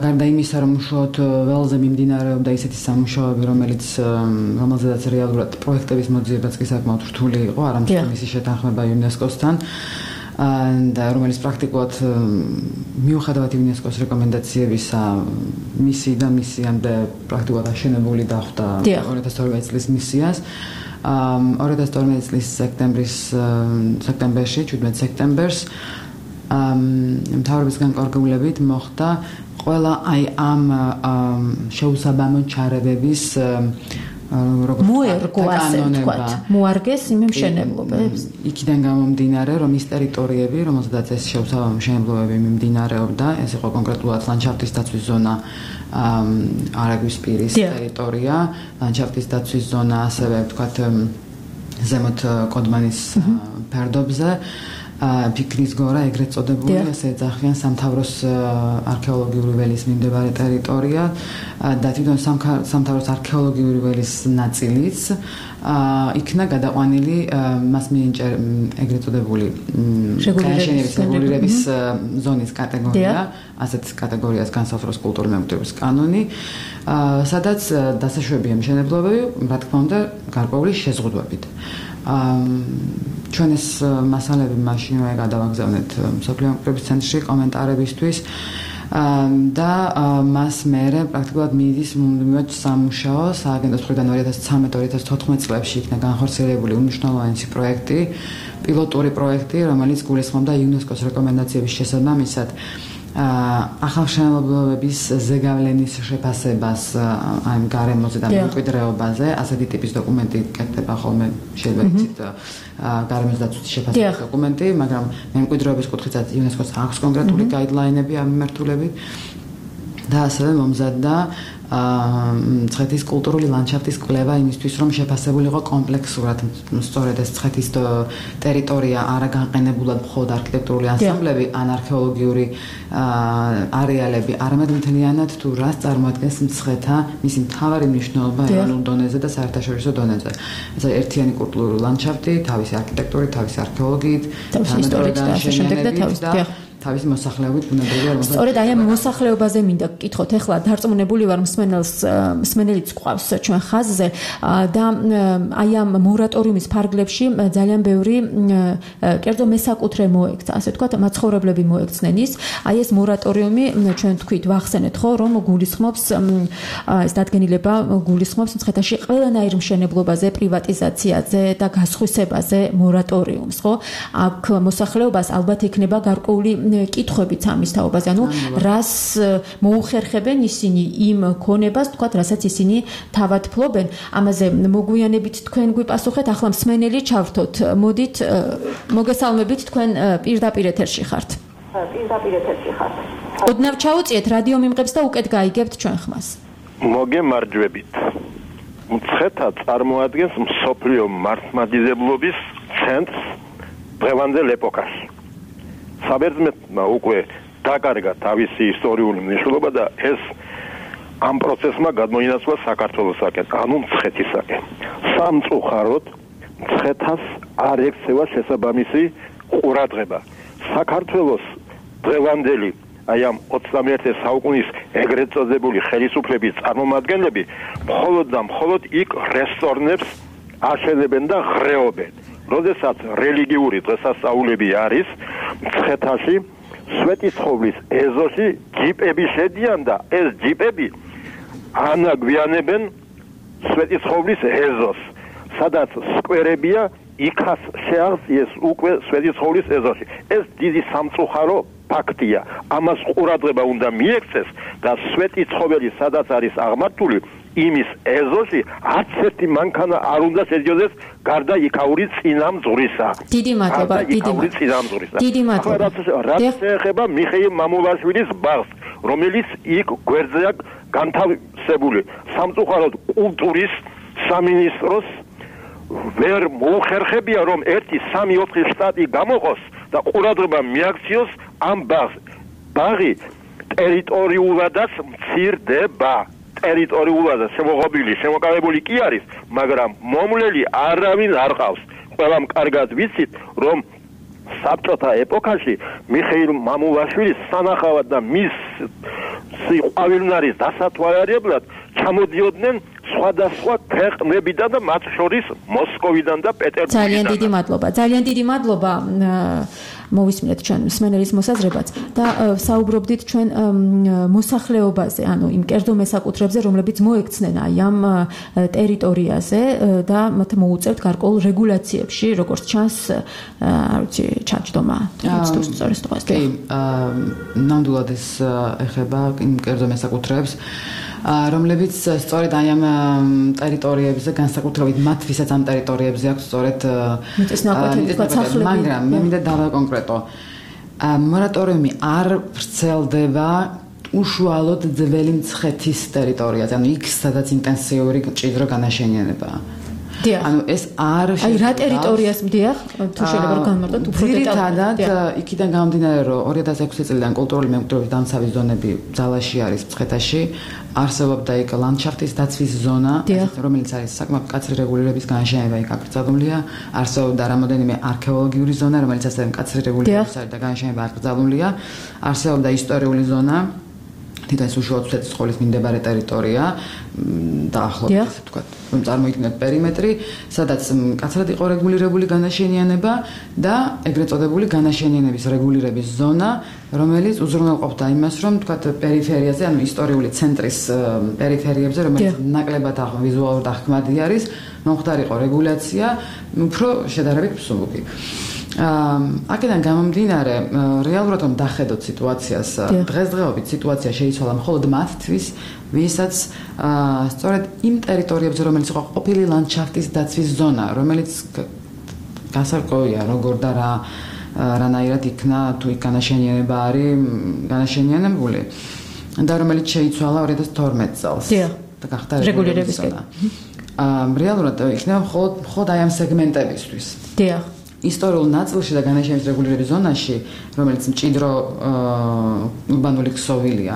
გარდა იმისა, რომ უშუალოდ ველზე მიმდინარეობდა ისეთი სამუშაოები, რომელიც რომელზედაც რეალურად პროექტების მოძიებაც კი საკმაოდ რთული იყო, არამედ მისი შეთანხმება იუნესკოსთან და რომელიც პრაქტიკულად მიუხედავად იუნესკოს რეკომენდაციებისა მისიიდან მისიამდე პრაქტიკულად აშენებული დახვდა ორი ათას თორმეტი წლის მისიას. ორი ათას თორმეტი წლის სექტემბრის სექტემბერში, შვიდმეტი სექტემბერს მთავრობის განკარგულებით მოხდა ყველა აი ამ შეუსაბამო ჩარევების მოერგო, ასე ვთქვათ, მოარგეს იმ მშენებლობებს. იქიდან გამომდინარე, რომ ის ტერიტორიები, რომელზედაც ეს შეუსაბამო მშენებლობები მიმდინარეობდა, ეს იყო კონკრეტულად ლანდშაფტის დაცვის ზონა, არაგვის პირის ტერიტორია, ლანდშაფტის დაცვის ზონა, ასევე ვთქვათ ზემოთ კოდმანის ფერდობზე ფიქრის გორა ეგრეთ წოდებული, ესე ეძახიან სამთავროს არქეოლოგიური ველის მიმდებარე ტერიტორია და თვითონ სამთავროს არქეოლოგიური ველის ნაწილიც იქნა გადაყვანილი მას მიენჭა ეგრეთ წოდებული განაშენების რეგულირების ზონის კატეგორია, ასეთ კატეგორიას განსაზღვრავს კულტურული მემკვიდრეობის კანონი, სადაც დასაშვებია მშენებლობები, რა თქმა უნდა, გარკვეული შეზღუდვებით. ჩვენ ეს მასალები მაშინვე გადავაგზავნეთ მსოფლიო მემკვიდრეობის ცენტრში კომენტარებისთვის და მას მერე პრაქტიკულად მიდის მუდმივად სამუშაო სააგენტოს მხრიდან ორი ათას ცხრამეტ ორი ათას თოთხმეტ წლებში იქნა განხორციელებული უმნიშვნელოვანესი პროექტი, პილოტური პროექტი, რომელიც გულისხმობდა იუნესკოს რეკომენდაციების შესაბამისად ახალშენებლობების ზეგავლენის შეფასებას ამ გარემოზე და მემკვიდრეობაზე, ასეთი ტიპის დოკუმენტი კეთდება ხოლმე, შეიძლება იცით გარემოს დაცვის შეფასების დოკუმენტი, მაგრამ მემკვიდრეობის კუთხითაც იუნესკოს აქვს კონკრეტული გაიდლაინები ამ მიმართულებით და ასევე მომზადდა მცხეთის კულტურული ლანდშაფტის კვლევა იმისთვის, რომ შეფასებულიყო კომპლექსურად სწორედ ეს მცხეთის ტერიტორია არა განყენებულად მხოლოდ არქიტექტურული ანსამბლები ან არქეოლოგიური არეალები, არამედ მთლიანად თუ რას წარმოადგენს მცხეთა მისი მთავარი მნიშვნელობა ეროვნულ დონეზე და საერთაშორისო დონეზე. ეს ერთიანი კულტურული ლანდშაფტი, თავისი არქიტექტურით, თავისი არქეოლოგიით, თავისი ისტორიით და ასე შემდეგ და თავის თავის მოსახლეობით ბუნებრივი არ სწორედ აი ამ მოსახლეობაზე მინდა გკითხოთ. ეხლა დარწმუნებული ვარ მსმენელს მსმენელიც ყავს ჩვენ ხაზზე და აი ამ მორატორიუმის ფარგლებში ძალიან ბევრი კერძო მესაკუთრე მოექცა, ასე ვთქვათ, მაცხოვრებლები მოექცნენ ის. აი ეს მორატორიუმი ჩვენ თქვით ვახსენეთ ხო, რომ გულისხმობს ეს დადგენილება გულისხმობს მცხეთაში ყველანაირ მშენებლობაზე, პრივატიზაციაზე და გასხვისებაზე მორატორიუმს, ხო? აქ მოსახლეობას ალბათ იქნება გარკვეული კითხვებიც ამის თაობაზე, ანუ რას მოუხერხებენ ისინი იმ ქონებას, თქვათ, რასაც ისინი თავად ფლობენ. ამაზე მოგვიანებით თქვენ გვიპასუხეთ, ახლა მსმენელი ჩავრთოთ. მოდით, მოგესალმებით, თქვენ პირდაპირ ეთერში ხართ. პირდაპირ ეთერში ხართ. ოდნავ ჩაუწიეთ რადიო მიმღებს და უკეთ გაიგებთ ჩვენ ხმას. მოგემარჯვებით. მცხეთა წარმოადგენს მსოფლიო მართლმადიდებლობის ცენტრს დღევანდელ ეპოქაში. საბერძნეთმა უკვე დაკარგა თავისი ისტორიული მნიშვნელობა და ეს ამ პროცესმა გადმოინაცვლა საქართველოსაკენ, ანუ მცხეთისაკენ. სამწუხაროდ მცხეთას არ ექცევა შესაბამისი ყურადღება. საქართველოს დღევანდელი აი ამ ოცდამეერთე საუკუნის ეგრეთ წოდებული ხელისუფლების წარმომადგენლები მხოლოდ და მხოლოდ იქ რესტორნებს აშენებენ და ღრეობენ. როდესაც რელიგიური დღესასწაულები არის მცხეთაში, სვეტიცხოვლის ეზოში ჯიპები შედიან და ეს ჯიპები ანაგვიანებენ სვეტიცხოვლის ეზოს, სადაც სკვერებია, იქაც შეაღწიეს უკვე სვეტიცხოვლის ეზოში. ეს დიდი სამწუხარო ფაქტია. ამას ყურადღება უნდა მიექცეს და სვეტიცხოველი სადაც არის აღმართული, იმის ეზოში არც ერთი მანქანა არ უნდა შედიოდეს გარდა იქაური წინამძღვრისა. დიდი მადლობა, დიდი მადლობა. დიდი მადლობა. რაც შეეხება მიხეილ მამულაშვილის ბაღს, რომელიც იქ გვერდზეა განთავსებული. სამწუხაროდ კულტურის სამინისტროს ვერ მოუხერხებია, რომ ერთი სამი ოთხი შტატი გამოყოს და ყურადღება მიაქციოს ამ ბაღს. ბაღი ტერიტორიულადაც მცირდება. ტერიტორიულადაც შემოღობილი, შემოკავებული კი არის, მაგრამ მომვლელი არავინ არ ყავს. ყველამ კარგად ვიცით, რომ საბჭოთა ეპოქაში მიხეილ მამულაშვილის სანახავად და მის სიყვავილნარის დასათვალიერებლად ჩამოდიოდნენ სხვადასხვა ქვეყნებიდან და მათ შორის მოსკოვიდან და პეტერბურგიდან. ძალიან დიდი მადლობა. ძალიან დიდი მადლობა. მოვისმინეთ ჩვენ მსმენელის მოსაზრებაც და საუბრობდით ჩვენ მოსახლეობაზე, ანუ იმ კერძო მესაკუთრებზე, რომლებიც მოექცნენ აი ამ ტერიტორიაზე და მათ მოუწევთ გარკვეულ რეგულაციებში, როგორც ჩანს, არ ვიცი, ჩაჯდომა. კი, ნამდვილად ეს ეხება იმ კერძო მესაკუთრეებს, რომლებიც სწორედ აი ამ ტერიტორიებზე, განსაკუთრებით მათ, ვისაც ამ ტერიტორიებზე აქვს სწორედ მიწისნაკვეთი, მაგრამ მე მინდა დავაკონკრეტო. მორატორიუმი არ ვრცელდება უშუალოდ ძველი მცხეთის ტერიტორიაზე, ანუ იქ, სადაც ინტენსიური მჭიდრო განაშენიანებაა. ანუ ეს არ აი რა ტერიტორიას მდიახ თუ შეიძლება რომ განმარტოთ უფრო დეტალურად იქიდან გამომდინარე რომ ორი ათას ექვსი წლიდან კულტურული მემკვიდრეობის დამცავი ზონები ძალაში არის მცხეთაში არსებობდა იქ ლანდშაფტის დაცვის ზონა რომელიც არის საკმაოდ მკაცრი რეგულირების განაშენება იქ აკრძალულია არსებობდა რამოდენიმე არქეოლოგიური ზონა რომელიც ასევე მკაცრი რეგულირების არის და განაშენება აკრძალულია არსებობდა ისტორიული ზონა თითქმის უშუალოდ სვეტის სკოლის მიმდებარე ტერიტორია დაახლოებით ასე ვთქვათ რომ წარმოიქმნათ პერიმეტრი სადაც მკაცრად იყო რეგულირებული განაშენიანება და ეგრეთ წოდებული განაშენიანების რეგულირების ზონა რომელიც უზრუნველყოფდა იმას რომ ვთქვათ პერიფერიაზე ანუ ისტორიული ცენტრის პერიფერიებზე რომელიც ნაკლებად ვიზუალურად აღქმადი არის მომხდარიყო რეგულაცია უფრო შედარებით მსუბუქი აქედან გამომდინარე რეალურად რომ დახედოთ სიტუაციას დღესდღეობით სიტუაცია შეიცვალა მხოლოდ მათთვის ვისაც სწორედ იმ ტერიტორიებზე რომელიც იყო ყოფილი ლანდშაფტის დაცვის ზონა რომელიც გასარკვევია როგორ და რა რანაირად იქნა თუ იქ განაშენიანება არის განაშენიანებული და რომელიც შეიცვალა ორი ათას თორმეტ წელს და გახდა რეგულირების ზონა რეალურად იქნება მხოლოდ მხოლოდ აი ამ სეგმენტებისთვის დიახ ისტორიულ ნაწილში და განაშენების რეგულირების ზონაში, რომელიც მჭიდრო ურბანული ქსოვილია,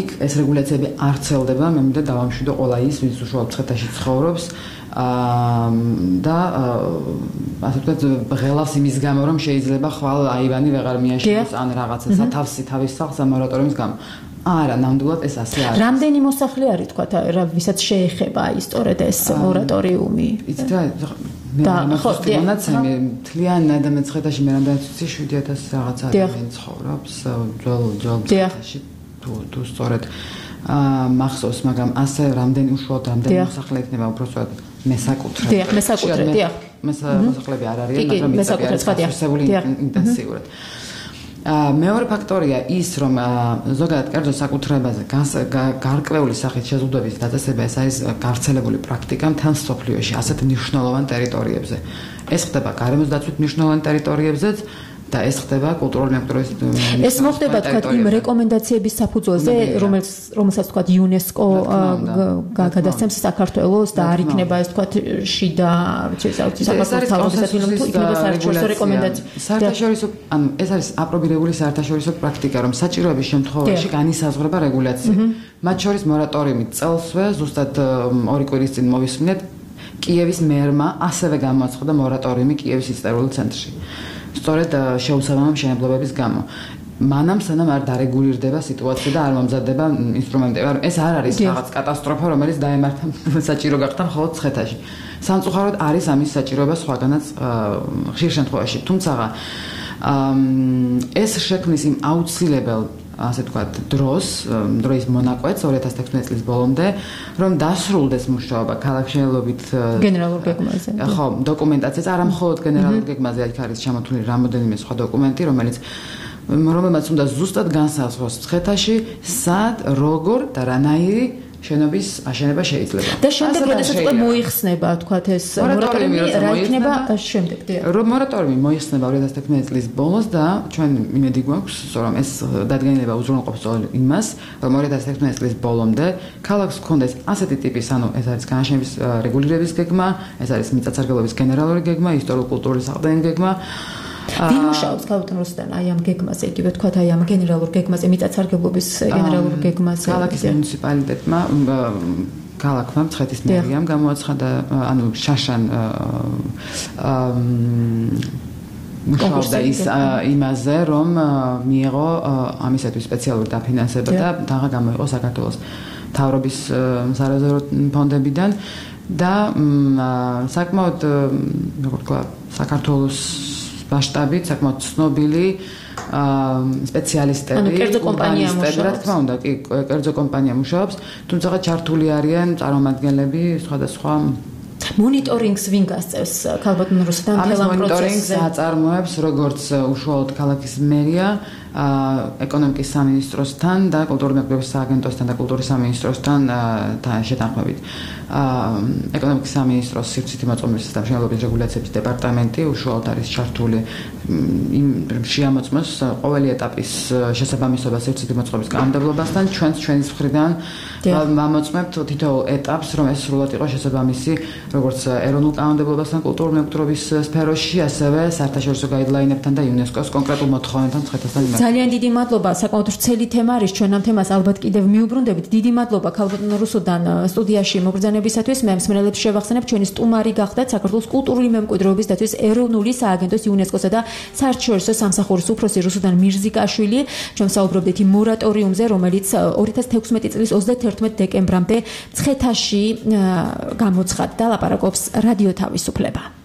იქ ეს რეგულაციები არ ვრცელდება, მე მინდა დავამშვიდო ყველა ის, ვინც უშუალოდ მცხეთაში ცხოვრობს და ასე ვთქვათ, ღელავს იმის გამო, რომ შეიძლება ხვალ აივანი ვეღარ მიაშენოს ან რაღაცა სათავსი თავის სახლს ამორატორიმის გამო. არა, ნამდვილად ეს ასე არის. რამდენი მოსახლე არის, თქვათ, რა ვისაც შეეხება აი სწორედ ეს მორატორიუმი? იცით რა და ხო, დიახ. თლიანი ადამიანის ხედაში მე რამდენიც ვიცი შვიდი ათასი რაღაც ადამიანი ცხოვრობს ძველ ძველ მცხეთაში თუ თუ სწორედ მახსოვს, მაგრამ ასე რამდენი უშუალოდ რამდენი მოსახლე იქნება უბრალოდ მესაკუთრე. დიახ, მესაკუთრე, დიახ. მოსახლეები არ არიან, მაგრამ მესაკუთრე ინტენსიურად. მეორე ფაქტორია ის, რომ ზოგადად კერძო საკუთრებაზე გარკვეული სახით შეზღუდვების დაწესება ეს არის გავრცელებული პრაქტიკა მთელ მსოფლიოში ასეთ მნიშვნელოვან ტერიტორიებზე. ეს ხდება გარემოს დაცვით მნიშვნელოვან ტერიტორიებზეც და ეს ხდება კულტურული მემკვიდრეობის ეს მოხდება თქვათ იმ რეკომენდაციების საფუძველზე, რომელიც რომელსაც თქვათ იუნესკო გადასცემს საქართველოს და არ იქნება ეს თქვათ შიდა საქართველოს თავისუფლად თუ იქნება საერთაშორისო რეკომენდაცია. საერთაშორისო ანუ ეს არის აპრობირებული საერთაშორისო პრაქტიკა, რომ საჭიროების შემთხვევაში განისაზღვრება რეგულაცია. მათ შორის მორატორიუმი წელსვე ზუსტად ორი კვირის წინ მოვისმინეთ კიევის მერმა ასევე გამოაცხადა მორატორიუმი კიევის ისტორიულ ცენტრში. სწორედ შეუსაბამო მშენებლობების გამო. მანამ სანამ არ დარეგულირდება სიტუაცია და არ მომზადდება ინსტრუმენტები. ეს არ არის რაღაც კატასტროფა, რომელიც დაემართა საჭირო გახდა მხოლოდ მცხეთაში. სამწუხაროდ არის ამის საჭიროება სხვაგანაც ხშირ შემთხვევაში. თუმცა ეს შექმნის იმ აუცილებელ ასე ვთქვათ, დროს, დროის მონაკვეთს ორი ათას თექვსმეტი წლის ბოლომდე, რომ დასრულდეს მუშაობა ქალაქმშენებლობით გენერალურ გეგმაზე. ხო, დოკუმენტაციაც არა მხოლოდ გენერალურ გეგმაზე, იქ არის ჩამოთვლილი რამოდენიმე სხვა დოკუმენტი, რომელიც რომელმაც უნდა ზუსტად განსაზღვროს მცხეთაში, სად, როგორ და რანაირი შენობის აშენება შეიძლება. და შემდეგ როდესაც უკვე მოიხსნება, თქვათ ეს მორატორიუმი რა იქნება შემდეგ? რომ მორატორიუმი მოიხსნება ორი ათას თექვსმეტი წლის ბოლოს და ჩვენ იმედი გვაქვს, რომ ეს დადგენილება უზრუნველყოფს იმას, რომ ორი ათას თექვსმეტი წლის ბოლომდე ქალაქს ჰქონდეს ასეთი ტიპის, ანუ ეს არის განაშენების რეგულირების გეგმა, ეს არის მიწათსარგებლობის გენერალური გეგმა, ისტორიულ-კულტურული საყრდენი გეგმა. ვინ მუშაობს ქალბატონ რუსტან აი ამ გეგმაზე, იგივე თქვათ აი ამ გენერალურ გეგმაზე, მიწათსარგებლობის გენერალურ გეგმაზე? ქალაქის მუნიციპალიტეტმა, ქალაქმა, მცხეთის მერიამ გამოაცხადა, ანუ შაშან მუშაობდა ის იმაზე, რომ მიიღო ამისათვის სპეციალური დაფინანსება და დაღა გამოიყო საქართველოს მთავრობის სარეზერვო ფონდებიდან და საკმაოდ როგორ თქვა საქართველოს მასშტაბით საკმაოდ ცნობილი სპეციალისტები, ანუ კერძო კომპანია მუშაობს. რა თქმა უნდა, კი, კერძო კომპანია მუშაობს, თუმცა ჩართული არიან წარმომადგენლები სხვადასხვა მონიტორინგს ვინ გასწევს ქალბატონ რუსთან თელამ პროცესზე? მონიტორინგს აწარმოებს როგორც უშუალოდ ქალაქის მერია, ეკონომიკის სამინისტროსთან და კულტურული მემკვიდრეობის სააგენტოსთან და კულტურის სამინისტროსთან შეთანხმებით. ეკონომიკის სამინისტროს სივრცითი მოწყობილობისა და მშენებლობის რეგულაციების დეპარტამენტი უშუალოდ არის ჩართული იმ შეამოწმოს ყოველი ეტაპის შესაბამისობა სივრცითი მოწყობის კანონმდებლობასთან. ჩვენს ჩვენის მხრიდან ვამოწმებთ თითოეულ ეტაპს, რომ ეს სრულად იყოს შესაბამისი როგორც ეროვნულ კანონმდებლობასთან კულტურული მემკვიდრეობის სფეროში, ასევე საერთაშორისო გაიდლაინებთან და იუნესკოს კონკრეტულ მოთხოვნებთან მცხეთასთან მიმართებით. ძალიან დიდი მადლობა, საკმაოდ ვრცელი თემა არის, ჩვენ ამ თემას ალბათ კიდევ მიუბრუნდებით. დიდი მადლობა ქალბატონ რუსუდან სტუდიაში მოგბრძანებისათვის. მე მსმენელებს შევახსენებ, ჩვენი სტუმარი გახდათ საქართველოს კულტურული მემკვიდრეობის დაცვის ეროვნული სააგენტოს იუნესკოსა და საერთაშორისო სამსახურის უფროსი რუსუდან მირზიკაშვილი. ჩვენ საუბრობდით იმ მორატორიუმზე, რომელიც ორი ათას თექვსმეტი წლის ოცდათერთმეტ დეკემბრამდე მცხეთაში გამოცხადდა. ლაპარაკობს რადიო თავისუფლება.